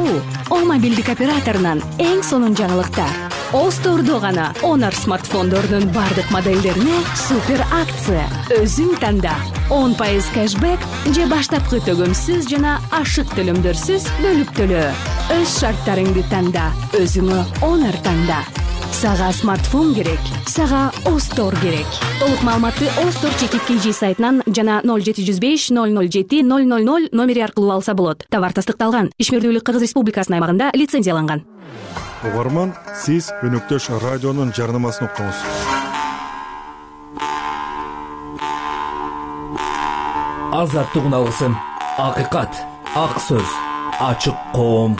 о мобилдик операторунан эң сонун жаңылыктар. Остордо гана Honor смартфондорунун бардык модельдерине супер акция. Өзүң танда. он пайыз кэшбэк же баштапкы төгөмсүз жана ашык төлөмдөрсүз бөлүп төлөө. Өз шарттарыңды танда. Өзүңө Honor танда. Сага смартфон керек, сага Остор керек. Толук маалыматты Остор чекит kg сайтынан жана ноль жети жүз беш ноль ноль жети ноль ноль ноль номери аркылуу алса болот. Товар тастыкталган. Ишмердүүлүк Кыргыз Республикасынын аймагында лицензияланган. Угарман, сиз Өнөктөш радионун жарнамасын уктуңуз. Азаттык уналгысын, акыйкат, ак сөз, ачык коом.